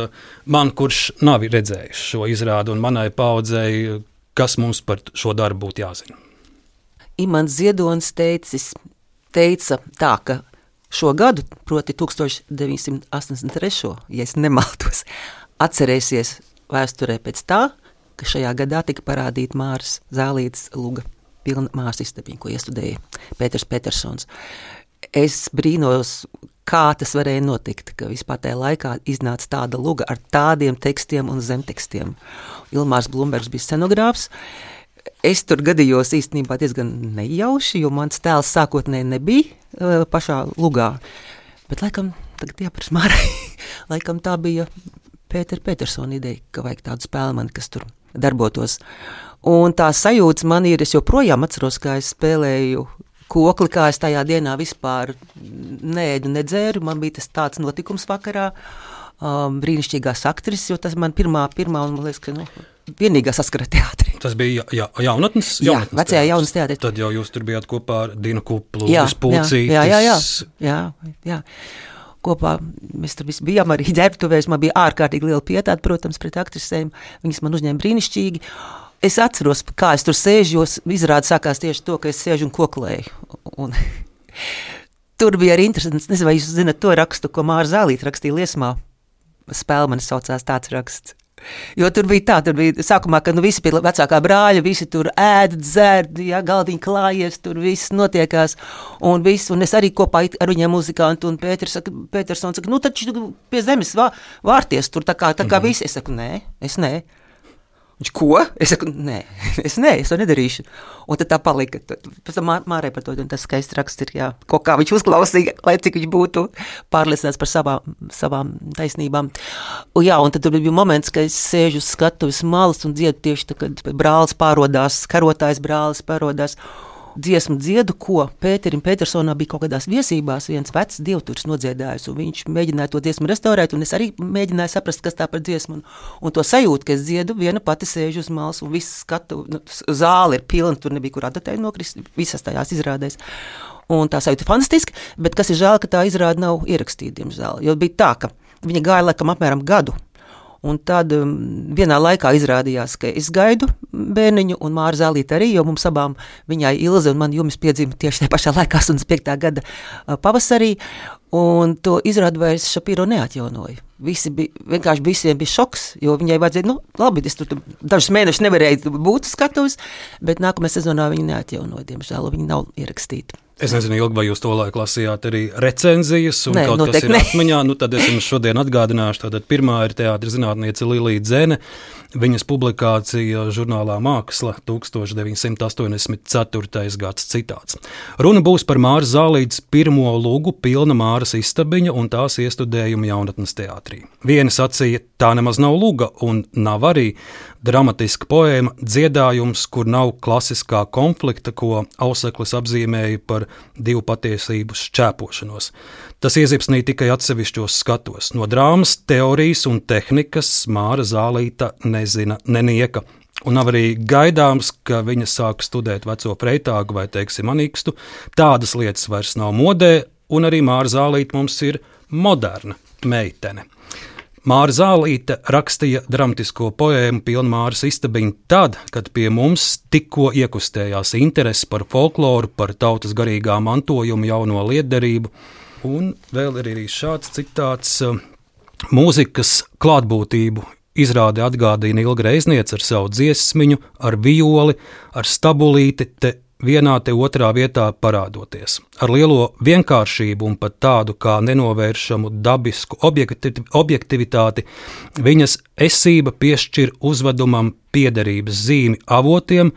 man, kurš nav redzējis šo izrādi, un manai paudzei, kas mums par šo darbu būtu jāzina? Imants Ziedonis teica tā, ka šo gadu, proti 1983, ja es nemaldos, atcerēsies vēsturē pēc tā, ka šajā gadā tika parādīta Māras Zālītes luga Pilna Māras istabiņa, ko iestudēja Pēters Petersons. Es brīnos, kā tas varēja notikt, ka vispār tajā laikā iznāca tāda luga ar tādiem tekstiem un zemtekstiem. Ilmārs Blumbergs bija scenogrāfs. Es tur gadījos īstenībā diezgan nejauši, jo mans tēls sākotnēji nebija pašā lugā. Bet laikam, tagad jāpras Mārai, laikam tā bija Pētera Petersona ideja, ka vajag tādu spēlmani, kas tur darbotos. Un tā sajūta man ir, es joprojām atceros, kā es spēlēju kokli, kā es tajā dienā vispār neēdu, nedzēru. Man bija tas tāds notikums vakarā, brīnišķīgās aktrises, jo tas man pirmā un man liekas, ka vienīgā saskara teātrī. Tas bija jaunatnes? Jā, vecajā jaunatnes teātrī. Tad jau jūs tur bijāt kopā ar Dinu Kuplu, Pulcītis. Jā. kopā mēs tur visi bijām arī ģērbtuvēs. Man bija ārkārtīgi liela pietāta, protams, pret aktrisēm. Viņas man uzņēma brīnišķīgi. Es atceros, kā es tur sēžu, jo izrāda sākās tieši to, ka es sēžu un koklēju. Un tur bija arī interesants, nezinu, vai jūs zināt to rakstu, ko Māra Zālīte rakstīja Liesmā. Spēlmanis saucās tāds raksts. Jo tur bija sākumā, ka visi pie vecākā brāļa, visi tur ēd, dzērd, galdiņi klājies, tur viss notiekās. Un es arī kopā ar viņiem muzikantu, un Pētersons saka, taču pie zemes vārties tur tā kā visi. Es saku, nē, es nē. Viņš, ko? Es saku, nē, es to nedarīšu. Un tad tā palika. Pēc tam Mārai par to, un tas skaists raksts ir, kaut kā viņš uzklausīja, lai cik viņš būtu pārliecināts par savām taisnībām. Un tad tur bija moments, ka es sēžu uz skatuves malas un dziedu tieši tā, kad brālis pārodās, karotājs brālis pārodās. Dziesmu dziedu, ko Pēterim Pētersonā bija kaut kādās viesībās viens vecs dievturis nodziedājis, un viņš mēģināja to dziesmu restaurēt, un es arī mēģināju saprast, kas tā par dziesmu, un to sajūtu, ka es dziedu, viena pati sēžu uz malas, un viss skatu, zāle ir pilna, tur nebija kur adatēji nokrist, visas tajās izrādēs. Un tā sajūta ir fantastiska, bet kas ir žēl, ka tā izrāda nav ierakstīta, diemžēl, jo bija tā, ka viņa gāja laikam apmēram gadu. Un tad vienā laikā izrādījās, ka es gaidu bērniņu un Māra Zālīte arī, jo mums abām, viņai Ilze un man Jumis piedzima tieši tajā pašā laikā 85. gada pavasarī, un to izrādu vairs Šapiro neatjaunoja. Vienkārši visiem bija šoks, jo viņai vajadzēja, labi, es tur dažus mēnešus nevarēju būt skatuves, bet nākamajā sezonā viņa neatjaunoja, diemžēl, viņa nav ierakstīta. Es nezinu, Ilgi, vai jūs to laiku lasījāt arī recenzijas, un kaut kas ir atmiņā, tad es jums šodien atgādināšu. Tātad pirmā ir teātra zinātniece Lilija Dzene, viņas publikācija žurnālā Māksla 1984. gads citāts. Runa būs par Māras Zālītes pirmo lugu Pilna Māras istabiņa un tās iestudējumu jaunatnes teātrī. Vieni sacīja, tā nemaz nav luga un nav arī dramatiska poēma, dziedājums, kur nav klasiskā konflikta, ko Auseklis apzīmēja par divu patiesību šķēpošanos. Tas iezipsnīja tikai atsevišķos skatos. No drāmas, teorijas un tehnikas Māra Zālīte nezina nenieka. Un nav arī gaidāms, ka viņa sāk studēt veco Freitāgu vai, teiksim, Anikstu. Tādas lietas vairs nav modē, un arī Māra Zālīte mums ir moderna meitene. Māra Zālīte rakstīja dramatisko poēmu Pilna Māras istabiņa tad, kad pie mums tikko iekustējās interesi par folkloru, par tautas garīgā mantojuma jauno lietderību. Un vēl ir arī šāds citāts: mūzikas klātbūtību izrādi atgādina Ilga Reizniece ar savu dziesmiņu, ar violi, ar stabulīti, te vienā te otrā vietā parādoties. Ar lielo vienkāršību un pat tādu kā nenovēršamu dabisku objektivitāti viņas esība piešķir uzvedumam piederības zīmi avotiem,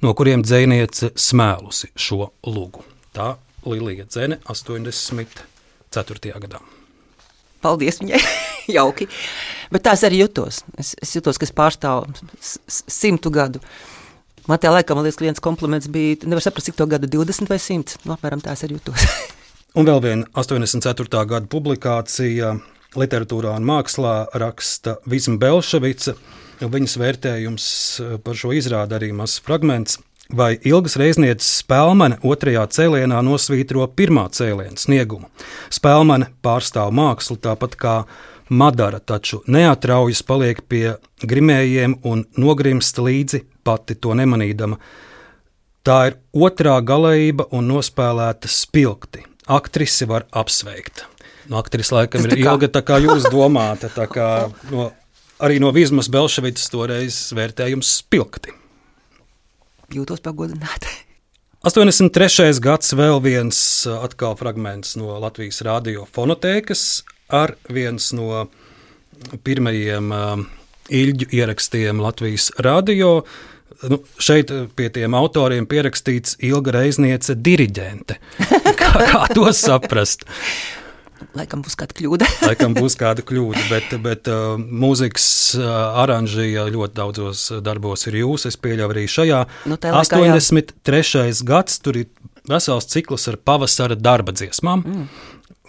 no kuriem dzejniece smēlusi šo lugu. Tā Lilija Dzene 84. gadā. Paldies viņai, jauki. Bet tās arī jutos. Es jutos, ka es pārstāvu 100 gadu. Man tajā laikā, man liekas, ka viens kompliments bija, nevar saprast, cik to gadu 20 vai 100. Apmēram tās arī jutos. Un vēl viena 84. gada publikācija Literatūrā un mākslā raksta Vizma Belševica. Viņas vērtējums par šo izrādi arī mazs fragments. Vai Ilgas Reiznieces Spēlmane otrajā cēlienā nosvītro pirmā cēliena sniegumu. Spēlmane pārstāv mākslu tāpat kā Madara, taču neatraujas paliek pie grimējiem un nogrimst līdzi pati to nemanīdama. Tā ir otrā galējība un nospēlēta spilgti. Aktrisi var apsveikt. Aktris laikam ir Ilga, tā kā jūs domāta, tā kā arī no Vizmas Belševicas toreiz vērtējums spilgti. Jūtos pagodināti. 83. gads, vēl viens atkal fragments no Latvijas radio fonotēkas ar viens no pirmajiem Iļģu ierakstiem Latvijas radio. Šeit pie tiem autoriem pierakstīts Ilga Reizniece diriģente. Kā to saprast? Laikam būs kāda kļūda. Laikam būs kāda kļūda, bet mūzikas aranžija ļoti daudzos darbos ir jūs. Es pieļauju arī šajā. 83. gads, tur ir vesels cikls ar pavasara darba dziesmām.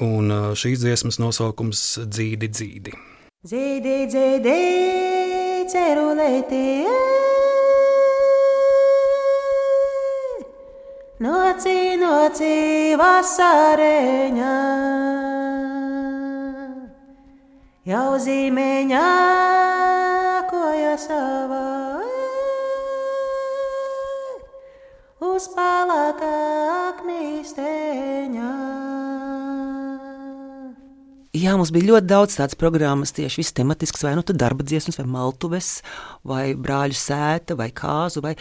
Un šīs dziesmas nosaukums Dzīdi, dzīdi. Dzīdi, dzīdi, cerulēti, noci, noci, vasareņā. jau zīmeņā, koja savā, uz palākā aknīsteņā. Jā, mums bija ļoti daudz tādas programmas, tieši viss tematisks, vai nu tad darba dziesmas, vai maltuves, vai brāļu sēta, vai kāzu, vai...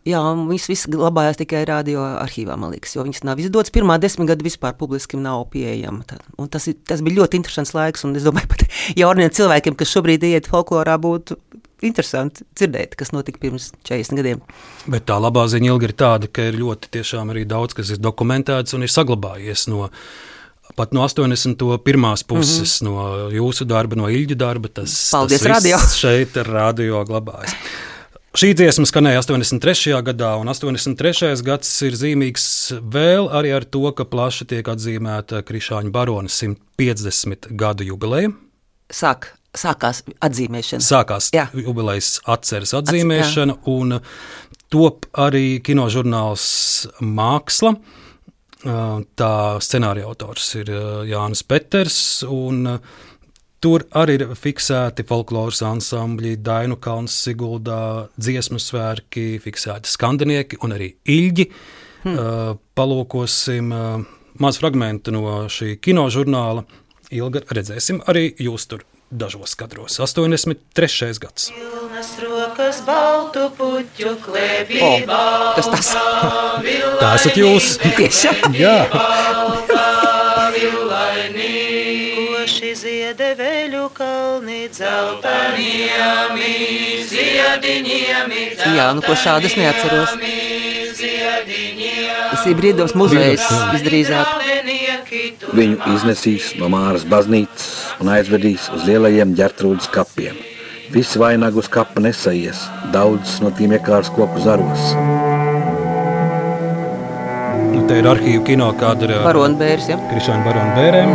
Jā, un viss glabājās tikai radio arhīvā, man liekas, jo viņas nav izdotas. Pirmā 10 gadu vispār publiski nav pieejama. Un tas bija ļoti interesants laiks, un es domāju, pat jauniem cilvēkiem, kas šobrīd iet folklorā, būtu interesanti dzirdēt, kas notika pirms 40 gadiem. Bet tā labā ziņa ilgi ir tāda, ka ir ļoti tiešām arī daudz, kas ir dokumentēts un ir saglabājies pat no 81. puses, no jūsu darba, no Ilģu darba, tas radio. Šeit ir radio glabājas. Šī dziesma skanēja 83. gadā, un 83. gads ir zīmīgs vēl arī ar to, ka plaši tiek atzīmēta Krišāņu barona 150 gadu jubileja. Sākās atzīmēšana. Sākās jubilejas atceres atzīmēšana, un top arī kinožurnāls Māksla. Tā scenārija autors ir Jānis Peters, un tur arī ir fiksēti folkloras ansambļi, Dainu kalns Siguldā, dziesmu svētki, fiksēti skandinieki un arī Ilģi. Palūkosim maz fragmentu no šī kinožurnāla. Ilga, redzēsim arī jūs tur dažos kadros. 83. gads. Pilnas rokas baltu puķu klēpībā. Kas tas? Tā esat jūs. Tiešām? Jā. Koši ziede veļu kalni dzeltaniemi, ziediņiemi. Jā, nu ko šādas neatceros. Tas ir Brīvdabas muzejs visdrīzāk. Viņu iznesīs no Māras baznīcas un aizvedīs uz lielajiem Ģertrūdas kapiem. Visi vainagu uz kapa nesaies, daudzas no tiem iekārs koku zaros. Te ir arhīvu kino kadra Baronbērs, ja? Krišāņu baronbērēm.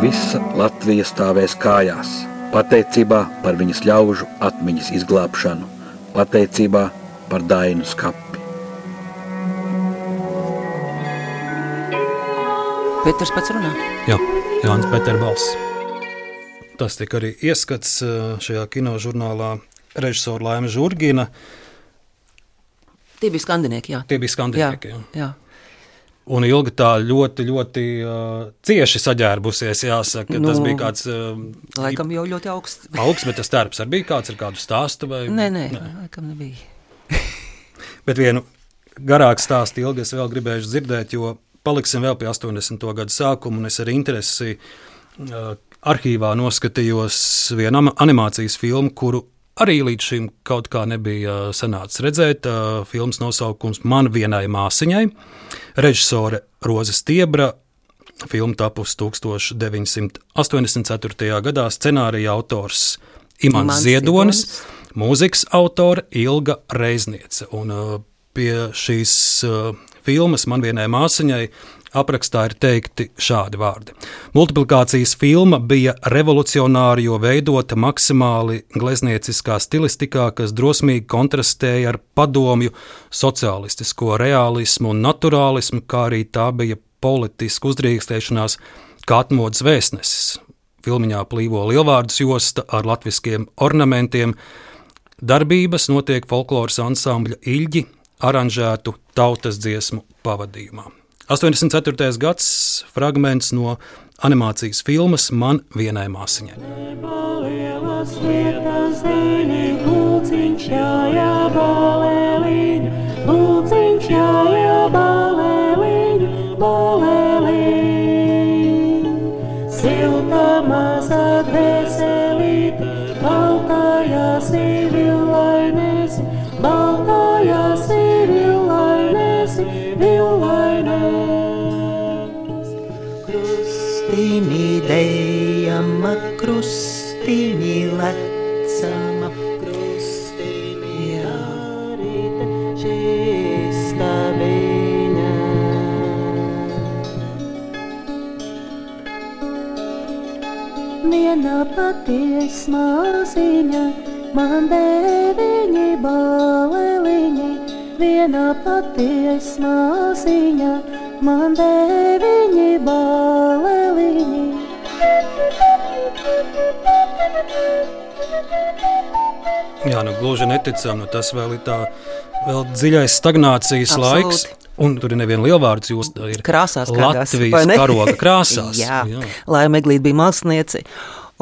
Visa Latvija stāvēs kājās, pateicībā par viņas ļaužu atmiņas izglābšanu, pateicībā par Dainu skapi. Peters pats runā. Jā, Jānis Peters balss. Tas tika arī ieskats šajā kinožurnālā režisora Laima Žurgina. Tie bija skandinieki, jā. Tie bija skandinieki, jā. Un Ilga tā ļoti, ļoti cieši saģērbusies, jāsaka. Tas bija kāds... Laikam jau ļoti augsts. Augsts, bet tas tērps arī bija kāds ar kādu stāstu? Vai? Nē, laikam nebija. Bet vienu garāku stāstu Ilga es vēl gribējuši dzirdēt, jo paliksim vēl pie 80. gadu sākuma, un es ar interesi arhīvā noskatījos vienu animācijas filmu, kuru arī līdz šim kaut kā nebija sanācis redzēt. Filmas nosaukums Man vienai māsiņai. Režisore Roze Stiebra. Filma tapusi 1984. gadā. Scenārija autors Imants Ziedonis. Mūzikas autore Ilga Reizniece. Un pie šīs filmas Man vienai māsiņai aprakstā ir teikti šādi vārdi. Multiplikācijas filma bija revolucionāra, jo veidota maksimāli gleznieciskā stilistikā, kas drosmīgi kontrastēja ar padomju sociālistisko realismu un naturālismu, kā arī tā bija politiska uzdrīkstēšanās kā atmodas vēstnesis. Filmiņā plīvo lielvārdus josta ar latviskiem ornamentiem. Darbības notiek folkloras ansambļa Ilģi aranžētu tautas dziesmu pavadījumā. 84. gads, fragments no animācijas filmas Man vienai māsiņai. Lielas lietas dēļi, lūciņš jājā balēliņu, lūciņš jājā balēliņu, balēliņu. Silta mazā dvēselīte, baltājās villainēsi, baltājās villainēsi, villainēsi. Krustīmi dejama, krustīmi lecama, krustīmi jārīte šista viņa. Viena paties māsiņa, man deviņi baleliņi, viena paties māsiņa, man deviņi baleliņi, Jā, gluži neticam, tas vēl ir tā vēl dziļais stagnācijas laiks. Un tur ir neviena lielvārds, jūs ir krāsās Latvijas karoga krāsās. Jā. Laima Eglīte bija māksliniece,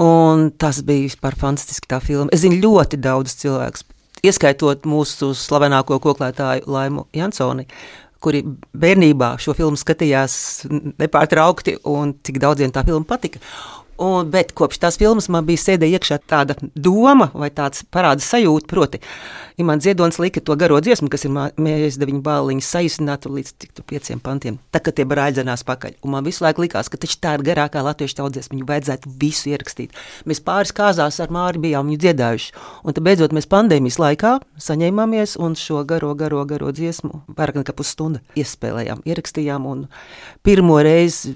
un tas bija vispār fantastiski tā filma. Es zinu ļoti daudz cilvēkus, ieskaitot mūsu slavenāko koklētāju Laimu Jansoni, kuri bērnībā šo filmu skatījās nepārtraukti, un cik daudziem tā filma patika. Bet kopš tās filmas man bija sēdē iekšā tāda doma vai tāds parāda sajūta, proti, Imants Ziedonis lika to garo dziesmu, kas ir Mēs deviņu bāliņas saīsinātu līdz 5 pantiem, tā kā tie brāļi dzenās pakaļ. Un man visu laiku likās, ka taču tā ir garākā latviešu tautsdziesma, viņu vajadzētu visu ierakstīt. Mēs pāris kāzās ar Māri bijām viņu dziedājuši, un tad beidzot mēs pandēmijas laikā saņēmāmies un šo garo dziesmu vairāk nekā pusstunda iespēlējām, ierakstījām, un pirmo reizi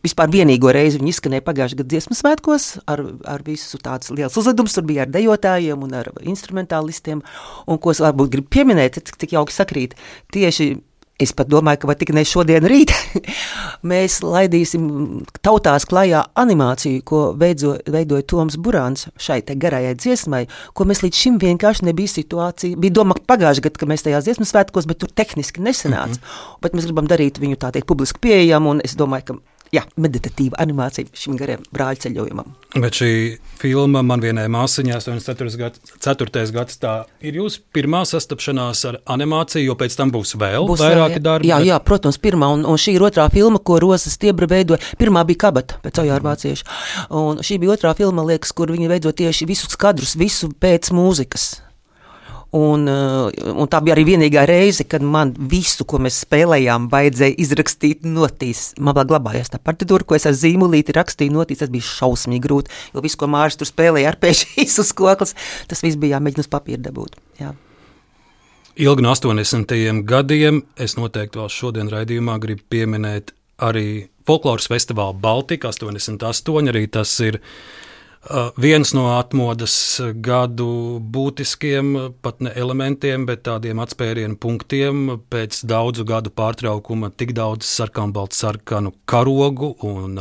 vispār vienīgo reizi viņi izskanēja pagājušajā gada dziesmu svētkos ar visu tāds liels uzledums. Tur bija ar dejotājiem un ar instrumentālistiem. Un ko es varbūt gribu pieminēt, cik jauki sakrīt, tieši es pat domāju, ka vai tik ne šodien rīt mēs laidīsim tautās klajā animāciju, ko veidoja Toms Burāns šai te garajai dziesmai, ko mēs līdz šim vienkārši nebija situācija. Bija doma pagājušajā gadā, ka mēs tajās dziesmu svētkos, bet tur tehniski nesanāca. Bet mēs gribam darīt viņu tā teikt publiski pieejamu, un es domāju, ka meditatīva animācija šim gariem brāļu ceļojumam. Bet šī filma man vienai māsiņai 84. gads, tā ir jūsu pirmā sastapšanās ar animāciju, jo pēc tam būs vairāki darbi. Jā, protams, pirmā, un šī ir otrā filma, ko Roza Stiebra veidoja. Pirmā bija Kabata pēc Ojāra Vācieša, un šī bija otrā filma, liekas, kur viņi veido tieši visus skadrus, visu pēc mūzikas. Un tā bija arī vienīgā reize, kad man visu, ko mēs spēlējām, vajadzēja izrakstīt notīs. Man vēl glabājās tā partitūra, ko es ar zīmulīti rakstīju notīs, tas bija šausmīgi grūti, jo visu, ko Māris tur spēlēja arpēžīs uz koklas, tas viss bija jāmēģina uz papīra dabūt. Jā. Ilgi no 80. gadiem, es noteikti vēl šodien raidījumā gribu pieminēt arī folkloras festivālu Baltika 88, arī tas ir viens no atmodas gadu būtiskiem, pat ne elementiem, bet tādiem atspērienu punktiem pēc daudzu gadu pārtraukuma tik daudz sarkanu karogu un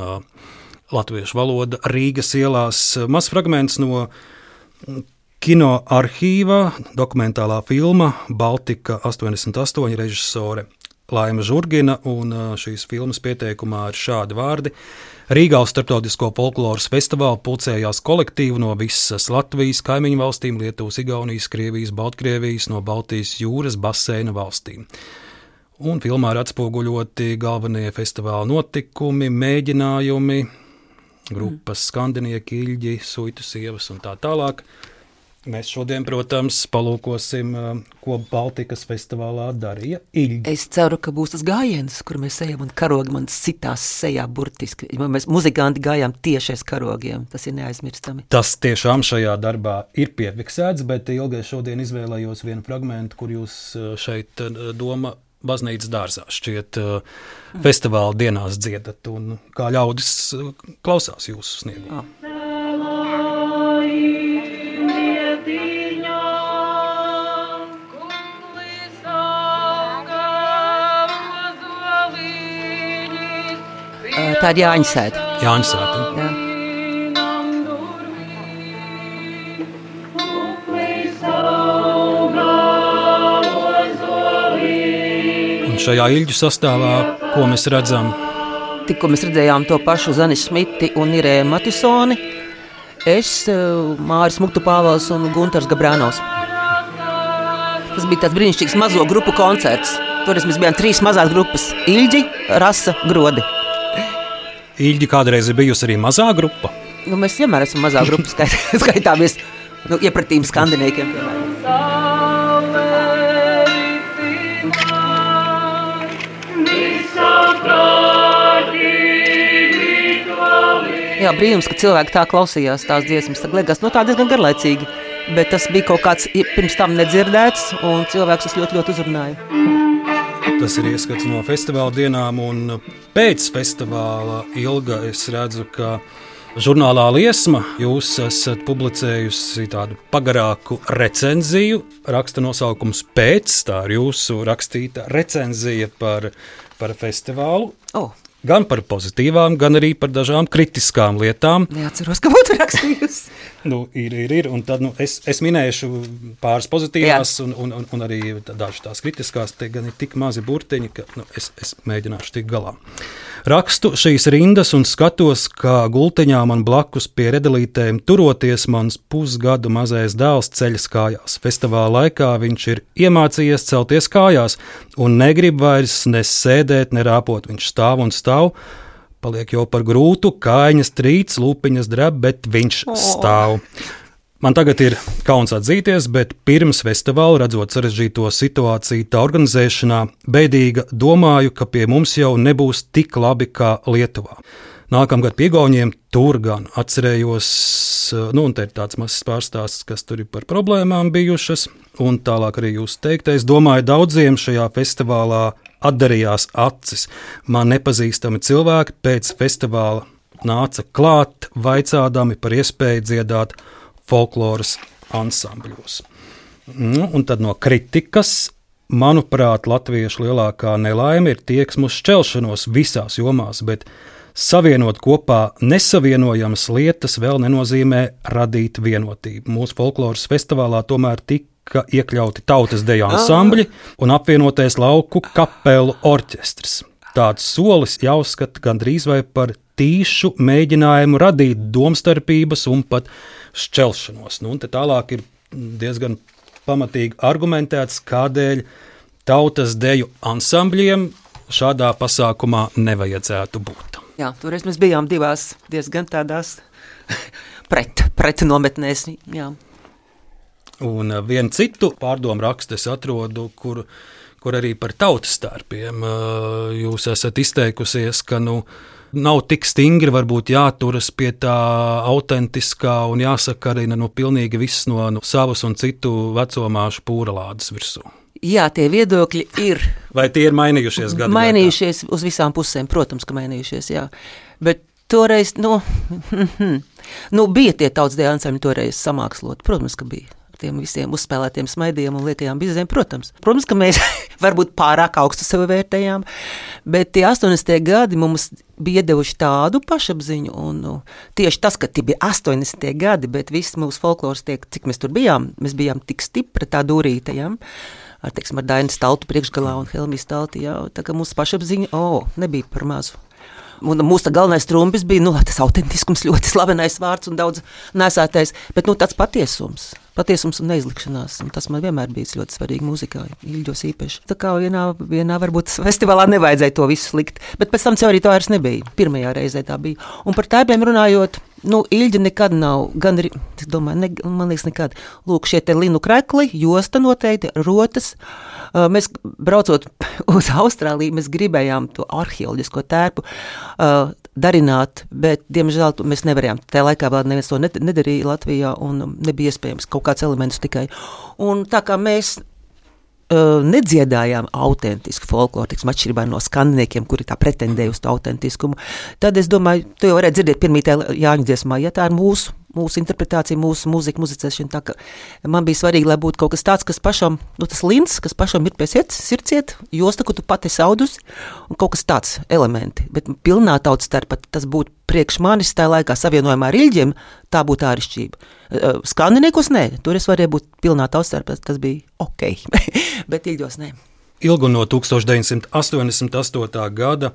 latviešu valoda Rīgas ielās. Mazs fragments no kino arhīva, dokumentālā filma Baltika 88, režisore Laima Žurgina, un šīs filmas pieteikumā ir šādi vārdi. Rīgā uz Starptautisko folkloras festivālu pulcējās kolektīvi no visas Latvijas, kaimiņu valstīm, Lietuvas, Igaunijas, Krievijas, Baltkrievijas, no Baltijas jūras baseina valstīm. Un filmā ir atspoguļoti galvenie festivāla notikumi, mēģinājumi, grupas skandinieki, Iļģi, Suitu sievas un tā tālāk. Mēs šodien, protams, palūkosim, ko Baltikas festivālā darīja Iļģi. Es ceru, ka būs tas gājiens, kur mēs ejam un karogi man sitās sejā burtiski. Mēs muzikanti gājām tieši aiz karogiem, tas ir neaizmirstami. Tas tiešām šajā darbā ir piefiksēts, bet ilgai šodien izvēlējos vienu fragmentu, kur jūs šeit doma baznīcas dārzā šķiet festivāla dienās dziedat un kā ļaudis klausās jūsu sniegumu. Tā ir Jāņsēta. Jāņsēta. Jā. Un šajā Iļģu sastāvā, ko mēs redzam? Tikko mēs redzējām to pašu Zani Šmiti un Irēnu Matisoni, es, Māris Muktu Pāvels un Guntars Gabrānovs. Tas bija tāds brīnišķīgs mazo grupu koncerts. Toreiz mēs bijām 3 mazās grupas – Iļģi, Rasa, Grodi. Iļģi kādreiz ir bijusi arī mazā grupa? Mēs vienmēr esam mazā grupa, skaitāmies iepratīm skandiniekiem. Jā, brīnums, ka cilvēki tā klausījās tās dziesmas, tad liekas, tā diezgan garlaicīgi, bet tas bija kaut kāds pirms tam nedzirdēts, un cilvēks tas ļoti, ļoti uzrunāja. Tas ir ieskats no festivāla dienām, un pēc festivāla Ilga es redzu, ka žurnālā Liesma jūs esat publicējusi tādu pagarāku recenziju, raksta nosaukums Pēc, tā ir jūsu rakstīta recenzija par festivālu. Gan par pozitīvām, gan arī par dažām kritiskām lietām. Neatceros, ka būtu rakstījusi. Ir. Un tad es minēšu pāris pozitīvās un arī dažas tās kritiskās. Te gan ir tik mazi burtiņi, ka es mēģināšu tikt galā. Rakstu šīs rindas un skatos, kā gultiņā man blakus pie redelītēm turoties mans pusgadu mazais dēls ceļas kājās. Festivāla laikā viņš ir iemācījies celties kājās un negrib vairs ne sēdēt, ne rāpot. Viņš stāv un stāv. Paliek jau par grūtu, kājiņas trīc, lūpiņas dreb, bet viņš stāv. Man tagad ir kauns atzīties, bet pirms festivāla, redzot sarežģīto situāciju tā organizēšanā, beidīga domāju, ka pie mums jau nebūs tik labi kā Lietuvā. Nākamgad pie Igauniem tur gan atcerējos, un te ir tāds mazs pārstāsts, kas tur ir par problēmām bijušas, un tālāk arī jūs teiktais. Domāju, daudziem šajā festivālā atdarījās acis. Man nepazīstami cilvēki pēc festivāla nāca klāt, vaicādami par iespēju dziedāt folkloras ansambļos. Un tad no kritikas, manuprāt, latviešu lielākā nelaime ir tieksmu uz šķelšanos visās jomās, bet savienot kopā nesavienojamas lietas vēl nenozīmē radīt vienotību. Mūsu folkloras festivālā tomēr tika iekļauti tautas deju ansambļi un apvienotais lauku kapelu orķestrs. Tāds solis jāuzskata gandrīz vai par tīšu mēģinājumu radīt domstarpības un pat šķelšanos. Un te tālāk ir diezgan pamatīgi argumentēts, kādēļ tautas deju ansambļiem šādā pasākumā nevajadzētu būt. Jā, toreiz mēs bijām divās diezgan tādās pret nometnēs. Jā. Un vienu citu pārdomu rakstu es atrodu, kur arī par tautas starpiem jūs esat izteikusies, ka nav tik stingri varbūt jāturas pie tā autentiskā un jāsaka arī pilnīgi viss no savas un citu vecomāšu pūralādes virsū. Jā, tie viedokļi ir. Vai tie ir mainījušies gadu? Mainījušies uz visām pusēm, protams, ka mainījušies, jā. Bet toreiz, bija tie tautas deju ansambļi toreiz samāksloti, protams, ka bija. Tiem visiem uzspēlētiem smaidiem un liekajām bizēm, protams. Protams, ka mēs varbūt pārāk augstu sevi vērtējām, bet tie 80. gadi mums bija iedevuši tādu pašapziņu, un tieši tas, ka tie bija 80. gadi, bet viss mūsu folkloras cik mēs tur bijām, mēs bijām tik stipri tā dūrīte, jā, ar Dainas Taltu priekšgalā un Helmijas Talti, jā, tā kā mūsu pašapziņa, nebija par mazu. Un mūsu galvenais trumpis bija, tas autentiskums, ļoti slavenais vārds un daudz nesētais, bet tāds patiesums un neizlikšanās, un tas man vienmēr bijis ļoti svarīgi mūzikā, Ilģos īpaši. Tā kā vienā varbūt festivālā nevajadzēja to visu likt, bet pēc tam arī to vairs nebija, pirmajā reizē tā bija. Un par tēpiem runājot, Ilģa nekad nav, gan arī, es domāju, man liekas nekad, lūk, šie te linu krekli, josta noteikti, rotas. Mēs braucot uz Austrāliju, mēs gribējām to arheoloģisko tērpu darināt, bet, diemžēl, mēs nevarējām. Tajā laikā vēl neviens to nedarīja Latvijā un nebija iespējams kaut kāds elements tikai. Un tā kā mēs nedziedājām autentisku folkloru, atšķirībā no skandiniekiem, kuri tā pretendēja uz to autentiskumu, tad es domāju, tu jau varētu dzirdēt pirmītē Jāņu dziesmā, ja tā ir mūsu interpretācija, mūsu mūzika, muzicēšana, tā ka man bija svarīgi, lai būtu kaut kas tāds, kas pašam, tas lins, kas pašam ir pie sirdsciet, josta, ko tu pati saudusi, un kaut kas tāds elementi, bet pilnā tautas starpā tas būtu priekš manis tā laikā savienojumā ar Ilģiem, tā būtu āršķība. Skandiniekos nē, tur es varēju būt pilnā tautas starpā, tas bija ok, bet Ilģos nē. Ilgu no 1988. gada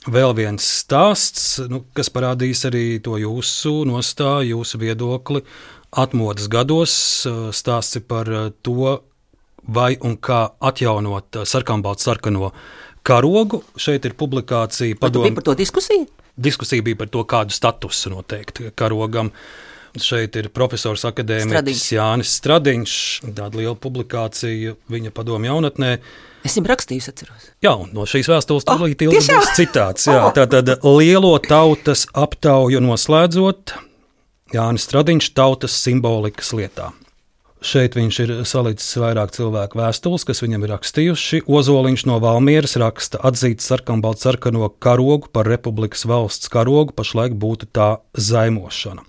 vēl viens stāsts, kas parādīs arī to jūsu nostāju, jūsu viedokli atmodas gados. Stāsts ir par to, vai un kā atjaunot sarkanbaltu-sarkano karogu. Šeit ir publikācija padomu. Bija par to diskusija? Diskusija bija par to, kādu statusu noteikti karogam. Šeit ir profesors akadēmiķis Jānis Stradiņš, tāda liela publikācija viņa padomu jaunatnē. Es viņam rakstīju, atceros. Jā, un no šīs vēstules tūlīt būs citāts. Jā, tātad lielo tautas aptauju noslēdzot, Jānis Stradiņš tautas simbolikas lietā. Šeit viņš ir salicis vairāk cilvēku vēstules, kas viņam ir rakstījuši. Ozoliņš no Valmieras raksta: atzīts sarkanbaltu-sarkano karogu par republikas valsts karogu, pašlaik būtu tā zaimošana.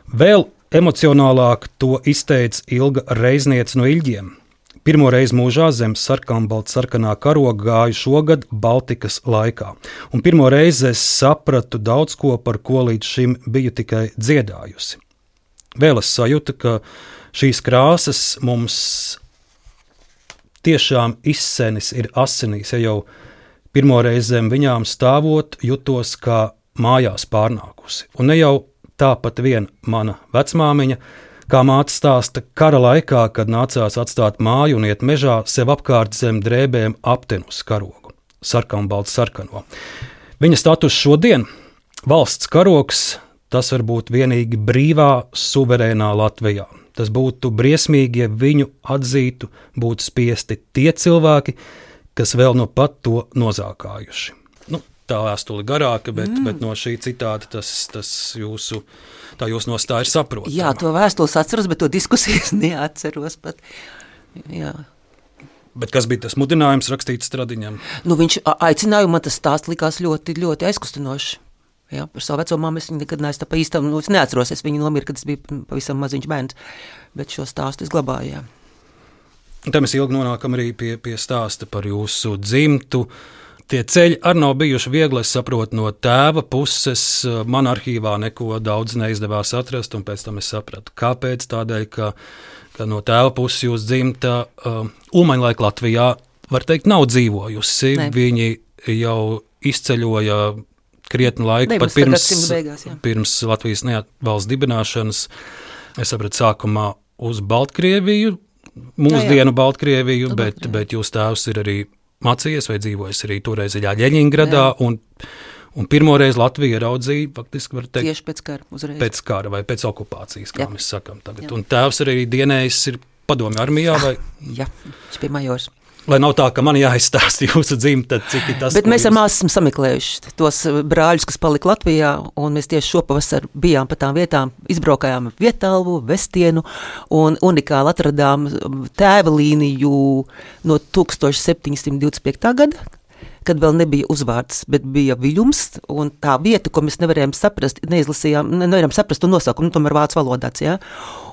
Vēl emocionālāk to izteica Ilga Reizniece no Ilģiem. Pirmo reizi mūžā zem sarkanā karoga gāju šogad Baltikas laikā. Un pirmo reizi es sapratu daudz ko, par ko līdz šim biju tikai dziedājusi. Vēl es sajūtu, ka šīs krāsas mums tiešām izsenis ir asinīs, ja jau pirmo reizi zem viņām stāvot jutos kā mājās pārnākusi. Un ne jau tāpat vien mana vecmāmiņa, kā māte stāsta, kara laikā, kad nācās atstāt māju un iet mežā, sev apkārt zem drēbēm aptenu uz karogu, sarkanbaltu sarkano. Viņa status šodien, valsts karogs, tas var būt vienīgi brīvā, suverēnā Latvijā. Tas būtu briesmīgi, ja viņu atzītu, būtu spiesti tie cilvēki, kas vēl no pat to nozākājuši. Tā vēstule garāka, bet no šī citāta tas jūsu nostāja ir saprotama. Jā, to vēstules atceros, bet to diskusijas neatceros pat. Jā. Bet kas bija tas mudinājums rakstīt Stradiņam? Viņš aicināja, man tas stāsts likās ļoti, ļoti aizkustinoši. Jā, par savu veco mammu es nekad neesmu tā pa īstam, es neatceros, es viņu nomira, kad es biju pavisam maziņš bērns, bet šo stāstu es glabāju, jā. Un te mēs ilgi nonākam arī pie stāsta par jūsu dzimtu. Tie ceļi arī nav bijuši viegli, es saprotu, no tēva puses. Man arhīvā neko daudz neizdevās atrast, un pēc tam es sapratu, kāpēc. Tādēļ, ka no tēva puses jūs dzimta Ulmaņlaika Latvijā, var teikt, nav dzīvojusi. Ne. Viņi jau izceļoja krietni laiku, pat pirms Latvijas valsts dibināšanas. Es sapratu, sākumā uz Baltkrieviju, mūsdienu Baltkrieviju, bet jūs tēvs ir arī mācījies vai dzīvojis arī toreiz Ļeņingradā, un pirmoreiz Latvija raudzīja, faktiski var teikt, tieši pēc kara uzreiz. Pēc kara vai pēc okupācijas, kā mēs sakam tagad. Jā. Un tēvs arī dienējis ir padomju armijā vai? Jā, viņš bija majors. Lai nav tā, ka man jāizstāsta jūsu dzimta, cik ir tas. Bet mēs ar māsu esam sameklējuši tos brāļus, kas palika Latvijā, un mēs tieši šopavasar bijām pa tām vietām, izbraukājām Vietalvu, Vestienu, un unikāli atradām tēva līniju no 1725. gada, kad vēl nebija uzvārds, bet bija viļums, un tā vieta, ko mēs nevarējām saprast, nevaram saprast to nosaukumu, tomēr vācu valodāts, jā.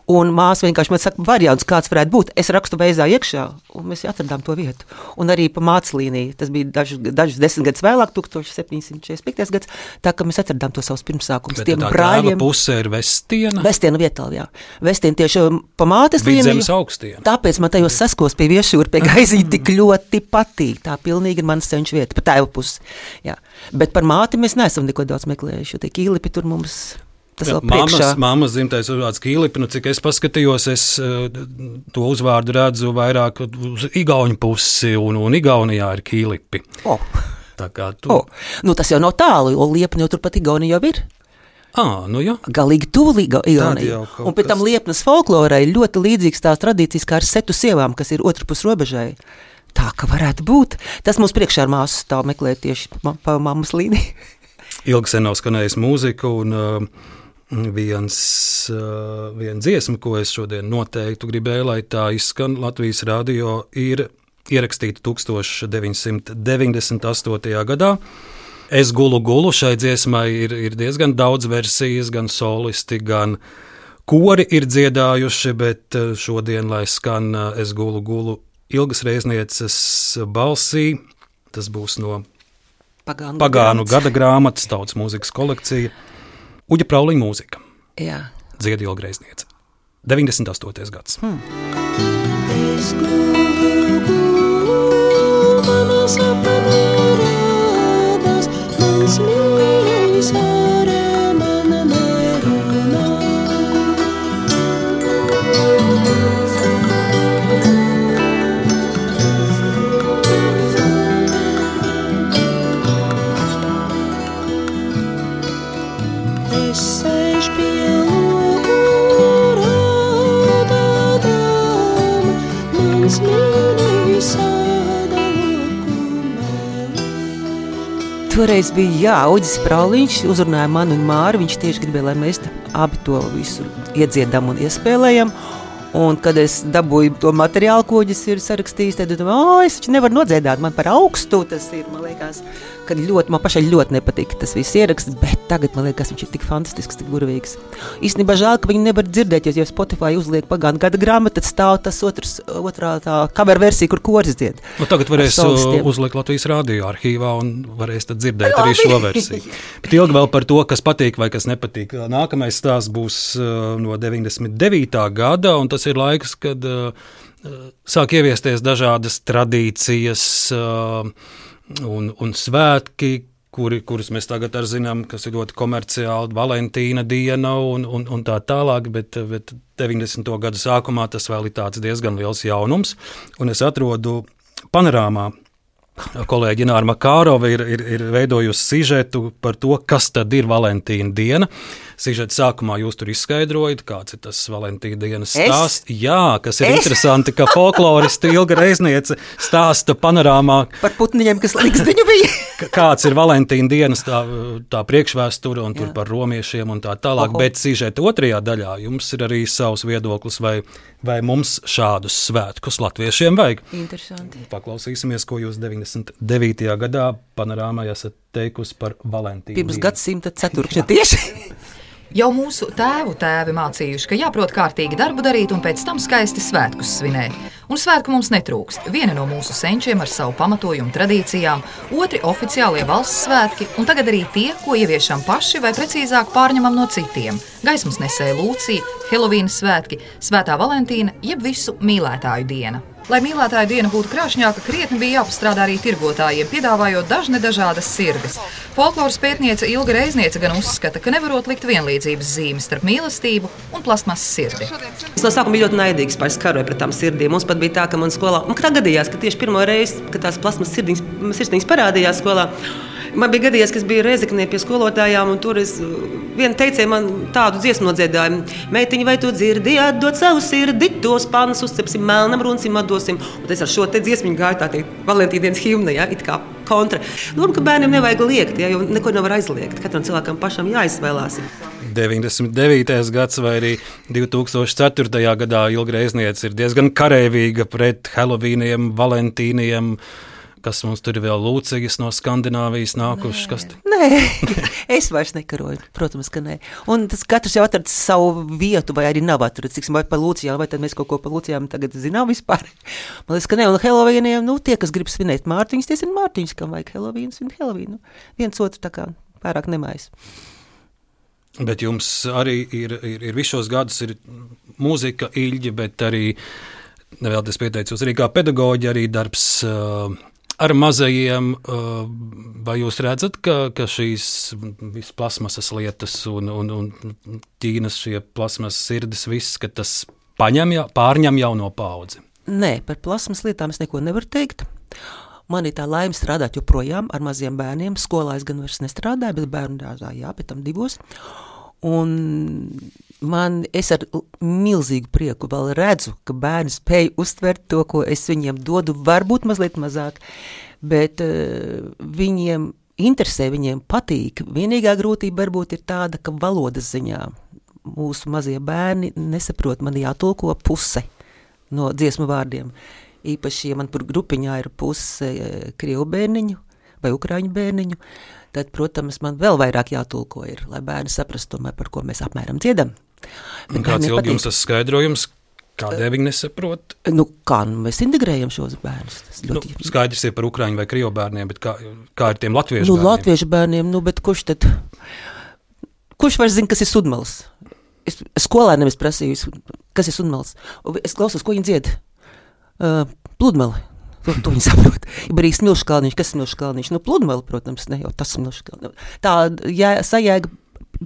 Un māsa vienkārši man saka, variants, kāds varētu būt. Es rakstu veizā iekšā, un mēs atradām to vietu. Un arī pa mācas līniju, tas bija dažus 10 gadus vēlāk, 1745. gads, tā ka mēs atradām to savus pirmsākumus. Bet tā tēva puse ir Vestiena? Vestiena Vietalva, jā. Vestiena tieši pa mātes līniju. Vidzemes augstiena. Tāpēc man tajos saskos pie Viešūra, pie Gaizīņa tik ļoti patīk. Tā pilnīgi ir manas ceņš vieta, pa tēva pusi. Jā. Bet par māti mēs neesam neko daudz meklējuši, jo tie Kīlipi tur mums... Mammas dzimtais uzvārds Kīlipi, cik es paskatījos, es to uzvārdu redzu vairāk uz igauņu pusi, un Igaunijā ir Kīlipi. Tā kā tu... tas jau nav tālu, jo Liepni jau turpat Igaunija jau ir. Jā. Galīgi tuvu Igaunija. Un pēc tam Liepnas folklorai ļoti līdzīgs tās tradīcijas kā ar setu sievām, kas ir otrpus robežai. Tā, ka varētu būt. Tas mums priekšā ar māsu stāv meklēt tieši pa mammas līniju. Ilgi sen nav skanējis mūzika, un viena dziesma, ko es šodien noteikti gribēju, lai tā izskan Latvijas radio, ir ierakstīta 1998. gadā. Es gulu, šai dziesmai ir diezgan daudz versijas, gan solisti, gan kori ir dziedājuši, bet šodien, lai skan Es gulu Ilgas Reiznieces balsī, tas būs no Pagānu gada grāmatas, tautas mūzikas kolekcija, Uģa Prauliņa mūzika. Jā. Dzied Ilga Reizniece. 98. gads. Es gulu, manā sapnī rādās, mans mīļais ārā mana nerunā. Es sēžu pie logu rādādām, mans mīļais āda lokumēlī. Toreiz bija, Uģis Prauliņš uzrunāja mani un Māri, viņš tieši gribēja, lai mēs abi to visu iedziedam un iespēlējam. Un, kad es dabūju to materiālu, ko Uģis ir sarakstījis, tad domāju, es taču nevaru nodziedāt, man par augstu tas ir, man liekas, ka man pašai ļoti nepatīk tas viss ieraksts, bet tagad, man liekas, viņš ir tik fantastisks, tik burvīgs. Īstenībā žēl, ka viņi nevar dzirdēt, ja Spotify uzliek pagātnē gada grāmatu, tad stāv tas otrā tā cover versija, kur koris dzied. Tagad varēs uzlikt Latvijas radio arhīvā un varēs tad dzirdēt arī šo versiju. Bet ilgi vēl par to, kas patīk vai kas nepatīk. Nākamais stāsts būs no 99. gada, un tas ir laiks, kad sāk ieviesties dažādas tradīcijas un svētki, kurus mēs tagad arī zinām, kas ir ļoti komerciāli, Valentīna diena un tā tālāk, bet 90. gadu sākumā tas vēl ir tāds diezgan liels jaunums, un es atrodu panorāmā. Kolēģi Ināra Makārova ir veidojusi sižetu par to, kas tad ir Valentīna diena. Sižeta sākumā jūs tur izskaidrojat, kāds ir tas Valentīna dienas stāsts. Jā, kas ir interesanti, ka folkloristi Ilga Reizniece stāsta panorāmā par putniņiem, kas likstiņu bija. Kāds ir Valentīna dienas tā priekšvēsture un tur par romiešiem un tā tālāk, bet sižeta otrajā daļā jums ir arī savs viedoklis, vai mums šādus svētkus latviešiem vajag. Interesanti. Paklausīsimies, ko jūs 99. gadā panorāmā esat teikusi par Valentīnu. Pirms gadsimta ceturkšņa tieši. Jau mūsu tēvi mācījuši, ka jāprot kārtīgi darbu darīt un pēc tam skaisti svētkus svinēt. Un svētku mums netrūkst. Viena no mūsu senčiem ar savu pamatojumu tradīcijām, otri oficiālie valsts svētki un tagad arī tie, ko ieviešam paši vai precīzāk pārņemam no citiem. Gaismas nesēja Lūcija, Helovīna svētki, Svētā Valentīna, jeb visu mīlētāju diena. Lai mīlētāju diena būtu krāšņāka, krietni bija jāpastrādā arī tirgotājiem, piedāvājot dažādas sirgas. Folkloras pētniece Ilga Reizniece gan uzskata, ka nevarot likt vienlīdzības zīmes starp mīlestību un plastmasas sirdi. Es no sākuma biju ļoti naidīgs, karoju pret tām sirdīm. Mums pat bija tā, ka man skolā, kā gadījās, ka tieši pirmo reizi, kad tās plasmasas sirdīņas parādījās skolā, man bija gadījies, ka es biju Rēzeknē pie skolotājām, un tur viena teicēja man tādu dziesmu nodziedājumu. Meitiņa, vai tu dzirdi, atdod savu sirdi, tos pannas uzcepsim, melnam runcim atdosim. Un es ar šo te dziesmiņu gāju tā teikt Valentīdienas himna, ja, it kā kontra. Domāju, ka bērniem nevajag liekt, ja, jo neko nevar aizliegt. Katram cilvēkam pašam jāizvēlās. 99. gads vai arī 2004. gadā Ilga Reizniece ir diezgan kareivīga pret Helovīniem, Valentīniem. Kas mums tur ir vēl Lūcijas no Skandināvijas nākušas? Nē, es vairs nekaroju, protams, ka nē. Un tas katrs jau atradis savu vietu, vai arī nav atradis, vai par Lūcijām, vai tad mēs kaut ko par Lūcijām tagad zinām vispār. Man liekas, ka nē, un Helovīniem, tie, kas grib svinēt Mārtiņus, tie ir Mārtiņus, kam vajag Helovīnu, svin Helovīnu. Viens otru tā kā pārāk nemājas. Bet jums arī ir visos šos gadus ir mūzika, Ilģi, bet arī, nevēlties pieteicos, arī kā pedagoģi, arī darbs ar mazajiem, vai jūs redzat, ka šīs visas plasmasas lietas un Ķīnas šie plasmasas sirdis, viss, ka tas pārņem jauno paudzi? Nē, par plasmas lietām es neko nevaru teikt. Man ir tā laime strādāt joprojām ar maziem bērniem. Skolā es gan vairs nestrādāju, bet bērnu dārzā, jā, pēc tam 2. Un es ar milzīgu prieku vēl redzu, ka bērni spēj uztvert to, ko es viņiem dodu, varbūt mazliet mazāk, bet viņiem interesē, viņiem patīk. Vienīgā grūtība varbūt ir tāda, ka valodas ziņā mūsu mazie bērni nesaprot, man jātulko puse no dziesmu vārdiem. Īpaši, ja man tur grupiņā ir puse krievu bērniņu vai ukraiņu bērniņu, tad, protams, man vēl vairāk jātulko ir, lai bērni saprastu tomēr, par ko mēs apmēram dziedam. Un kāds ilgi jums tas skaidrojums, kādēļ viņi nesaprot? Mēs integrējam šos bērnus. Skaidrs ir par ukraiņu vai krievu bērniem, bet kā ir tiem latviešu bērniem? Latviešu bērniem, bet kurš var zina, kas ir sudmals? Es skolēniem prasīju, kas ir sudmals. Es klausos, ko viņi dzied. Pludmali. To viņi saprot. Ja arī smilškalniņš, kas ir smilškalniņš? Pludmali, protams, ne jau tas smilškalniņš. Tā sajēga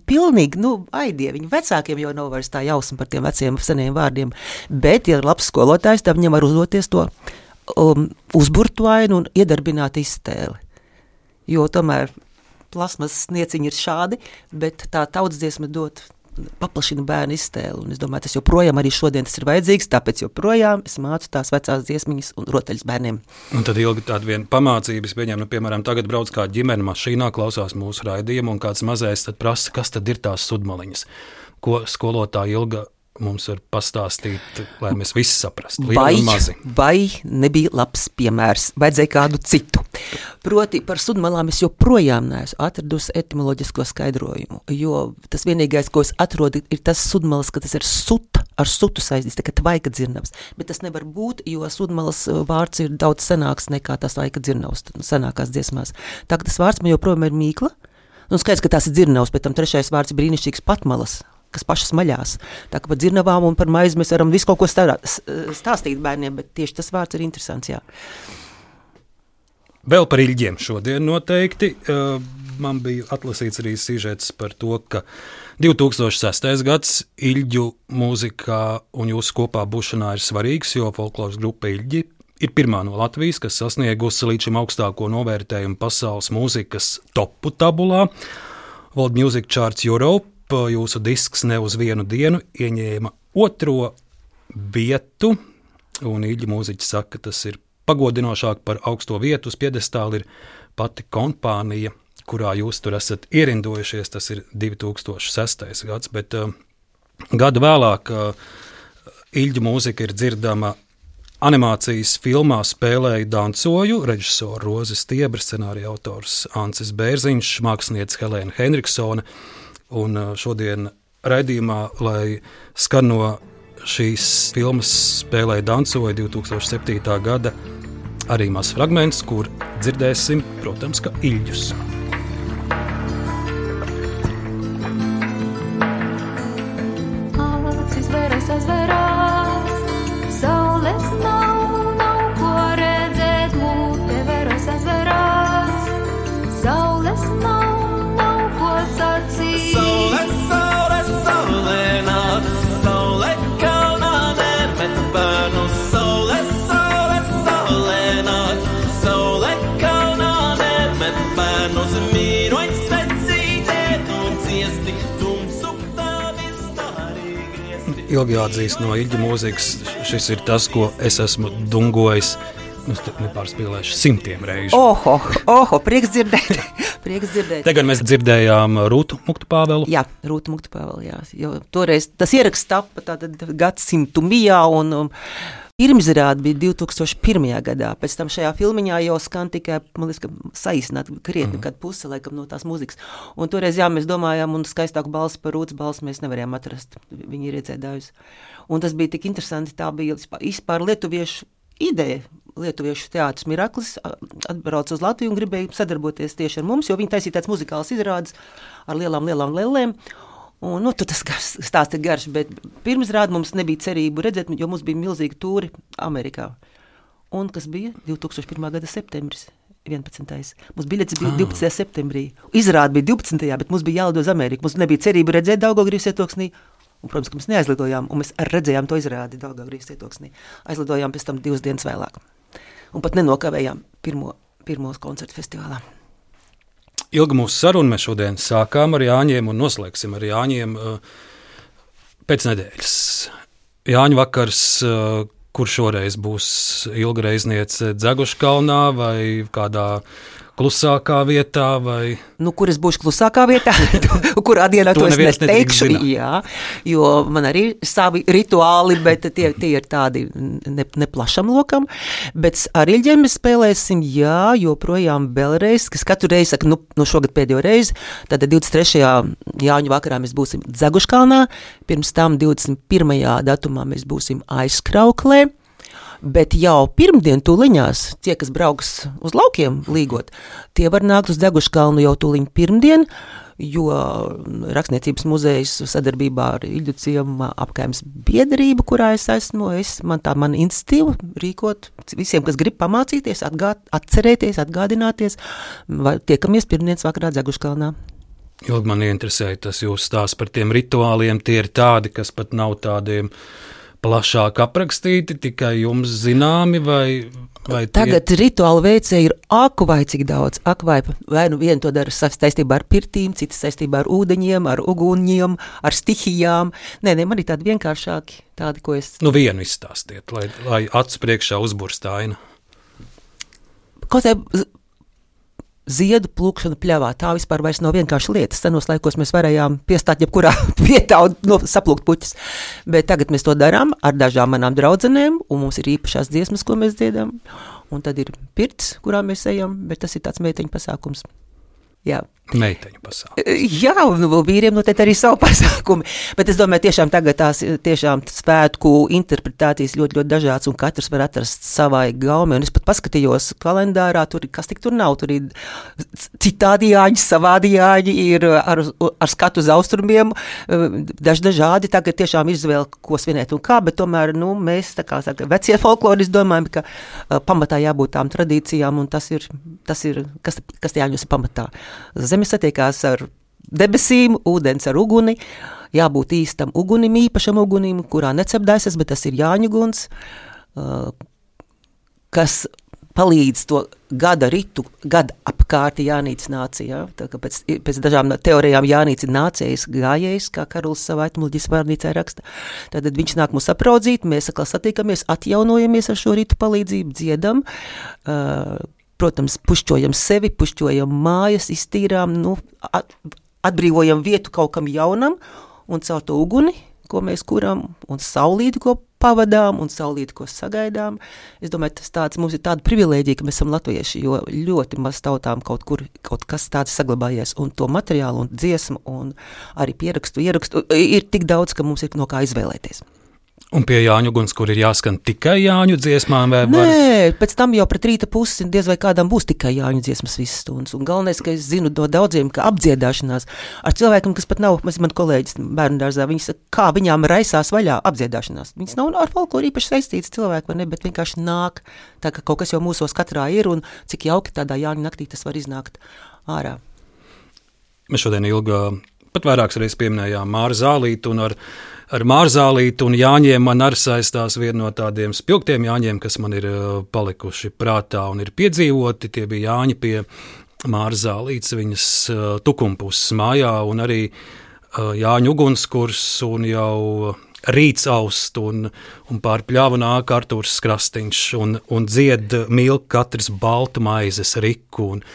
pilnīgi, aidie. Viņu vecākiem jau nav vairs tā jausma par tiem veciem seniem vārdiem. Bet, ja ir labs skolotājs, tad viņam var uzdoties to uzburtuainu un iedarbināt iztēli. Jo tomēr plasmas snieciņi ir šādi, bet tā tautsdziesma paplašina bērnu iztēli. Un es domāju, tas joprojām arī šodien tas ir vajadzīgs, tāpēc joprojām es mācu tās vecās dziesmiņas un rotaļas bērniem. Un tad ilgi tāda viena pamācības, piemēram, tagad brauc kā ģimene mašīnā, klausās mūsu raidījumu, un kāds mazais tad prasa, kas tad ir tās sudmaliņas, ko skolotāja Ilga mums var pastāstīt, lai mēs visi saprastu. Vai nebija labs piemērs, vajadzēja kādu citu. Proti par sudmalām es joprojām neesmu atradusi etimoloģisko skaidrojumu, jo tas vienīgais, ko es atrodu, ir tas sudmalas, ka tas ir ar sutu saistīts, tā kā tvaika dzirnavs. Bet tas nevar būt, jo sudmalas vārds ir daudz senāks nekā tas tvaika dzirnavs senākās dziesmās. Tā kā tas vārds man joprojām ir mīkla, un skaidrs, ka tās ir dzirnavs, bet tam trešais vārds ir brīnišķīgs patmalas, kas pašas maļās. Tā kā par dzirnavām un par maizi mēs varam visu kaut ko stāstīt bērniem, bet tieši tas vārds ir interesants, jā. Vēl par Iļģiem šodien noteikti. Man bija atlasīts arī sižets par to, ka 2006. gads Iļģu mūzikā un jūsu kopā būšanā ir svarīgs, jo folkloras grupa Iļģi ir pirmā no Latvijas, kas sasniegusi līdz šim augstāko novērtējumu pasaules mūzikas topu tabulā. World Music Charts Europe, jūsu disks ne uz vienu dienu ieņēma 2. vietu, un Iļģu mūziķi saka, ka tas ir pagodinošāk par augsto vietu uz piedestāla ir pati kompānija, kurā jūs tur esat ierindojušies, tas ir 2006. gads, bet gadu vēlāk Iļģu mūzika ir dzirdama animācijas filmā Spēlēju dancoju, režisoru Rozi Stiebra, scenārija autors Ancis Bērziņš, mākslinieca Helēna Henriksone, un šodien raidījumā, lai skan no šīs filmas Spēlēju dancoju 2007. gada arī mazs fragments, kur dzirdēsim, protams, ka Iļģus. Acis veras aizverās, saules nav ko redzēt, mūte veras aizverās, saules nav ko sacīt. Saule nāk, saule kalnā nemet bērnu, saule nāk, saule kalnā nemet bērnus, mīroņ svecītē, un ciesti tumsu tādi stārī griezti. Ilgi jāatzīst no Iļģu mūzikas, šis ir tas, ko es esmu dungojis, nepārspīlēšu 100 reižu. Oho, prieks dzirdēt. Tagad mēs dzirdējām Rūtu Muktu Pāvelu. Jā, Rūtu Muktu Pāvelu, jā. Jo toreiz tas ieraksts tapa tātad gadsimtu mijā, un pirmizrāde bija 2001. gadā. Pēc tam šajā filmiņā jau skan tikai, man liekas, ka saīsināt krietni kādu pusi, laikam, no tās mūzikas. Un toreiz, jā, mēs domājām, un skaistāku balsi par Rūtas balsi mēs nevarējām atrast. Viņi ir iedzēdājusi. Un tas bija tik interesanti, tā bija vispār lietuviešu ideja. Lietuviešu teātris Miraklis atbrauca uz Latviju un gribēja sadarboties tieši ar mums, jo viņi taisīja tāds muzikāls izrādes ar lielām lellēm. Un, tas stāsts ir garš, bet pirmizrāde mums nebija cerību redzēt, jo mums bija milzīgi tūri Amerikā. Un kas bija 2001. gada septembris, 11. Mums biļetes bija 12. septembrī. Izrāde bija 12. bet mums bija jālido uz Ameriku. Mums nebija cerību redzēt Daugavgrīvas cietoksnī. Un, protams, ka mēs neaizlidojām, un mēs redzējām to izrādi Daugavgrīvas cietoksnī. Aizlidojām pēc tam 2 dienas vēlāk. Un pat nenokavējām pirmos koncertu festivālā. Ilga mūsu saruna, mēs šodien sākām ar Jāņiem un noslēgsim ar Jāņiem pēc nedēļas. Jāņu vakars, kur šoreiz būs Ilga Reizniece Dzeguškalnā vai kādā klusākā vietā? Vai... Kur es būšu klusākā vietā, kurā dienā to es neteikšu. Jā, jo man arī ir savi rituāli, bet tie ir tādi neplašam lokam. Bet ar Iļģiem mēs spēlēsim, jā, joprojām vēlreiz, kas katru reizi saka, šogad pēdējo reizi, tad 23. Jāņu vakarā mēs būsim Dzeguškalnā, pirms tam 21. datumā mēs būsim Aizkrauklē. Bet jau pirmdien tūliņās, tie, kas brauks uz laukiem līgot, tie var nākt uz Dzeguškalnu jau tūliņ pirmdien, jo Rakstniecības muzejs sadarbībā ar Iļģu ciema apkaimes biedrību, kurā es esmu, man institīva rīkot visiem, kas grib pamācīties, atcerēties, atgādināties, tiekamies pirmdienas vakarā Dzeguškalnā. Ilgi man interesēja tas jūs stāsts par tiem rituāliem, tie ir tādi, kas pat nav tādiem plašāk aprakstīti, tikai jums zināmi, vai Tagad rituālu veicēji ir vai cik daudz, vai viena to dara saistībā ar pirtīm, cita saistībā ar ūdeņiem, ar uguņiem, ar stihijām. Nē, man ir tādi vienkāršāki, tādi, ko es... Vienu izstāstiet, lai acu priekšā uzburst aina. Kaut kā ziedu plūkšana pļavā, tā vispār vairs nav vienkārši lietas. Senos laikos mēs varējām piestāt jebkurā vietā un saplūkt puķis. Bet tagad mēs to darām ar dažām manām draudzenēm, un mums ir īpašās dziesmas, ko mēs dziedam. Un tad ir pirts, kurā mēs ejam, bet tas ir tāds meiteņu pasākums. Jā. Meiteņu pasākums. Jā, un vīriem noteikti arī savu pasākumu, bet es domāju, tiešām tagad tās tiešām svētku interpretācijas ļoti, ļoti dažāds, un katrs var atrast savai gaumi, un es pat paskatījos kalendārā, kas tik tur nav, tur ir citādi jāņi, savādi jāņi, ir ar skatu uz austrumiem, dažādi, tagad tiešām izvēle, ko svinēt un kā, bet tomēr, mēs, tā kā vecie folkloristi domājam, ka pamatā jābūt tām tradīcijām, un tas ir kas jāņos pamatā. Zeme satiekās ar debesīm, ūdens ar uguni, jābūt īstam ugunim, īpašam ugunim, kurā necepdāsies, bet tas ir jāņuguns, kas palīdz to gada ritu, gada apkārti Jānītis nācija. Tā kā pēc dažām teorijām Jānītis ir nācējs gājējs, kā Karols savā etmoloģijas vārnīcā raksta. Tad viņš nāk mūs apraudzīt, mēs atkal satiekamies, atjaunojamies ar šo ritu palīdzību, dziedam, protams, pušķojam sevi, pušķojam mājas, iztīrām, atbrīvojam vietu kaut kam jaunam, un caur to uguni, ko mēs kuram, un saulīti, ko pavadām, un saulīti, ko sagaidām. Es domāju, mums ir tāda privilēģija, ka mēs esam latvieši, jo ļoti maz tautām kaut kas tāds saglabājies, un to materiālu, un dziesmu, un arī ierakstu, ir tik daudz, ka mums ir no kā izvēlēties. Un pie Jāņu uguns, kur ir jāskan tikai Jāņu dziesmām, vai var? Nē, pēc tam jau pret rīta pusi diez vai kādām būs tikai Jāņu dziesmas visas stundas. Un galvenais, ka es zinu no daudziem, ka apdziedāšanās ar cilvēkiem, kas pat nav, man kolēģis bērnu dārzā, viņi saka, kā viņām raisās vaļā apdziedāšanās. Viņas nav ar folkloru īpaši saistītas cilvēki, vai ne, bet vienkārši nāk, tā ka kaut kas jau mūsos katrā ir, un cik jauki tādā Jāņu naktī tas var iznākt ārā. Mēs šodien Ilga pat vairākas reizes pieminējām Māru Zālīti, un ar Māru Zālīti un Jāņiem man arī saistās viena no tādiem spilgtiem Jāņiem, kas man ir palikuši prātā un ir piedzīvoti. Tie bija Jāņi pie Māru Zālītes, viņas tukumpuses mājā, un arī Jāņu ugunskurs, un jau rīts aust, un pār pļavu nāk Artūrs Krastīņš, un dzied mīl katrs baltu maizes riku, un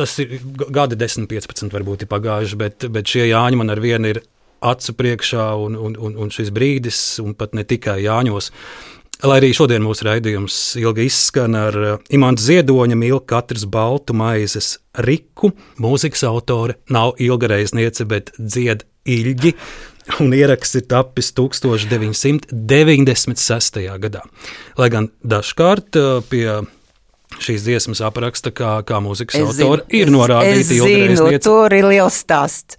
tas ir gadi 10-15 varbūt ir pagājuši, bet šie Jāņi man ar vienu ir acu priekšā, un šis brīdis, un pat ne tikai Jāņos. Lai arī šodien mūsu raidījums Ilga izskan ar Imants Ziedoņa mīl katrs baltu maizes riku. Mūzikas autore nav Ilga Reizniece, bet dzied Ilģi, un ieraksts ir tapis 1996. gadā. Lai gan dažkārt pie šīs dziesmas apraksta, kā mūzikas autori ir norādīti Ilga Reizniece. Tur ir liels stāsts.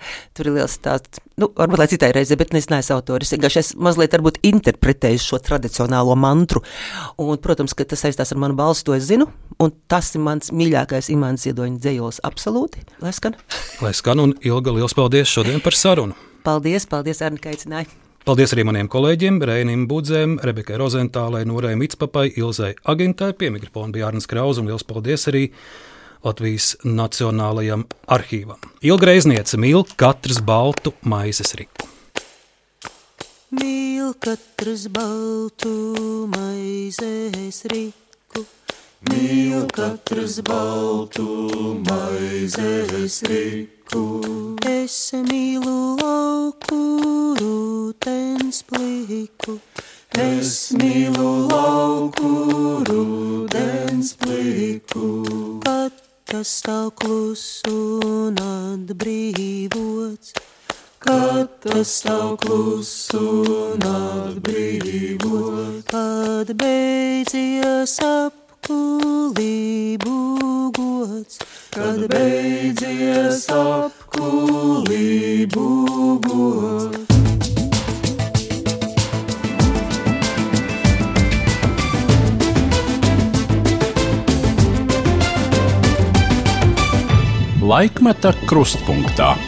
Varbūt lai citai reizē, bet es neesmu autoris. Es mazliet varbūt interpretēju šo tradicionālo mantru. Un, protams, ka tas saistās ar manu balsi, to es zinu. Un tas ir mans mīļākais Imants Ziedoņa dzejols absolūti. Lai skan? Lai skan, un Ilga, liels paldies šodien par sarunu. Paldies, Arni, ka aicināji. Paldies arī maniem kolēģiem, Reinim Budzēm, Rebekai Rozentālai, Norai Micpapai, Ilzai Agintai, pie mikrofona bija Arnis Krauz, un liels paldies arī Latvijas Nacionālajam arhīvam. Ilga Reizniece mīl katrs baltu maizes riku. Mīl katrs baltu maizes riku, mīl katrs baltu maizes riku. Es mīlu lauku rūtens pliku, es mīlu lauku rūtens pliku. Kad tas stāv kluss un atbrīvots, kad tas stāv kluss un atbrīvots, kad beidzies apkulību gods, kad beidzies apkulību gods. Laikmeta krustpunktā.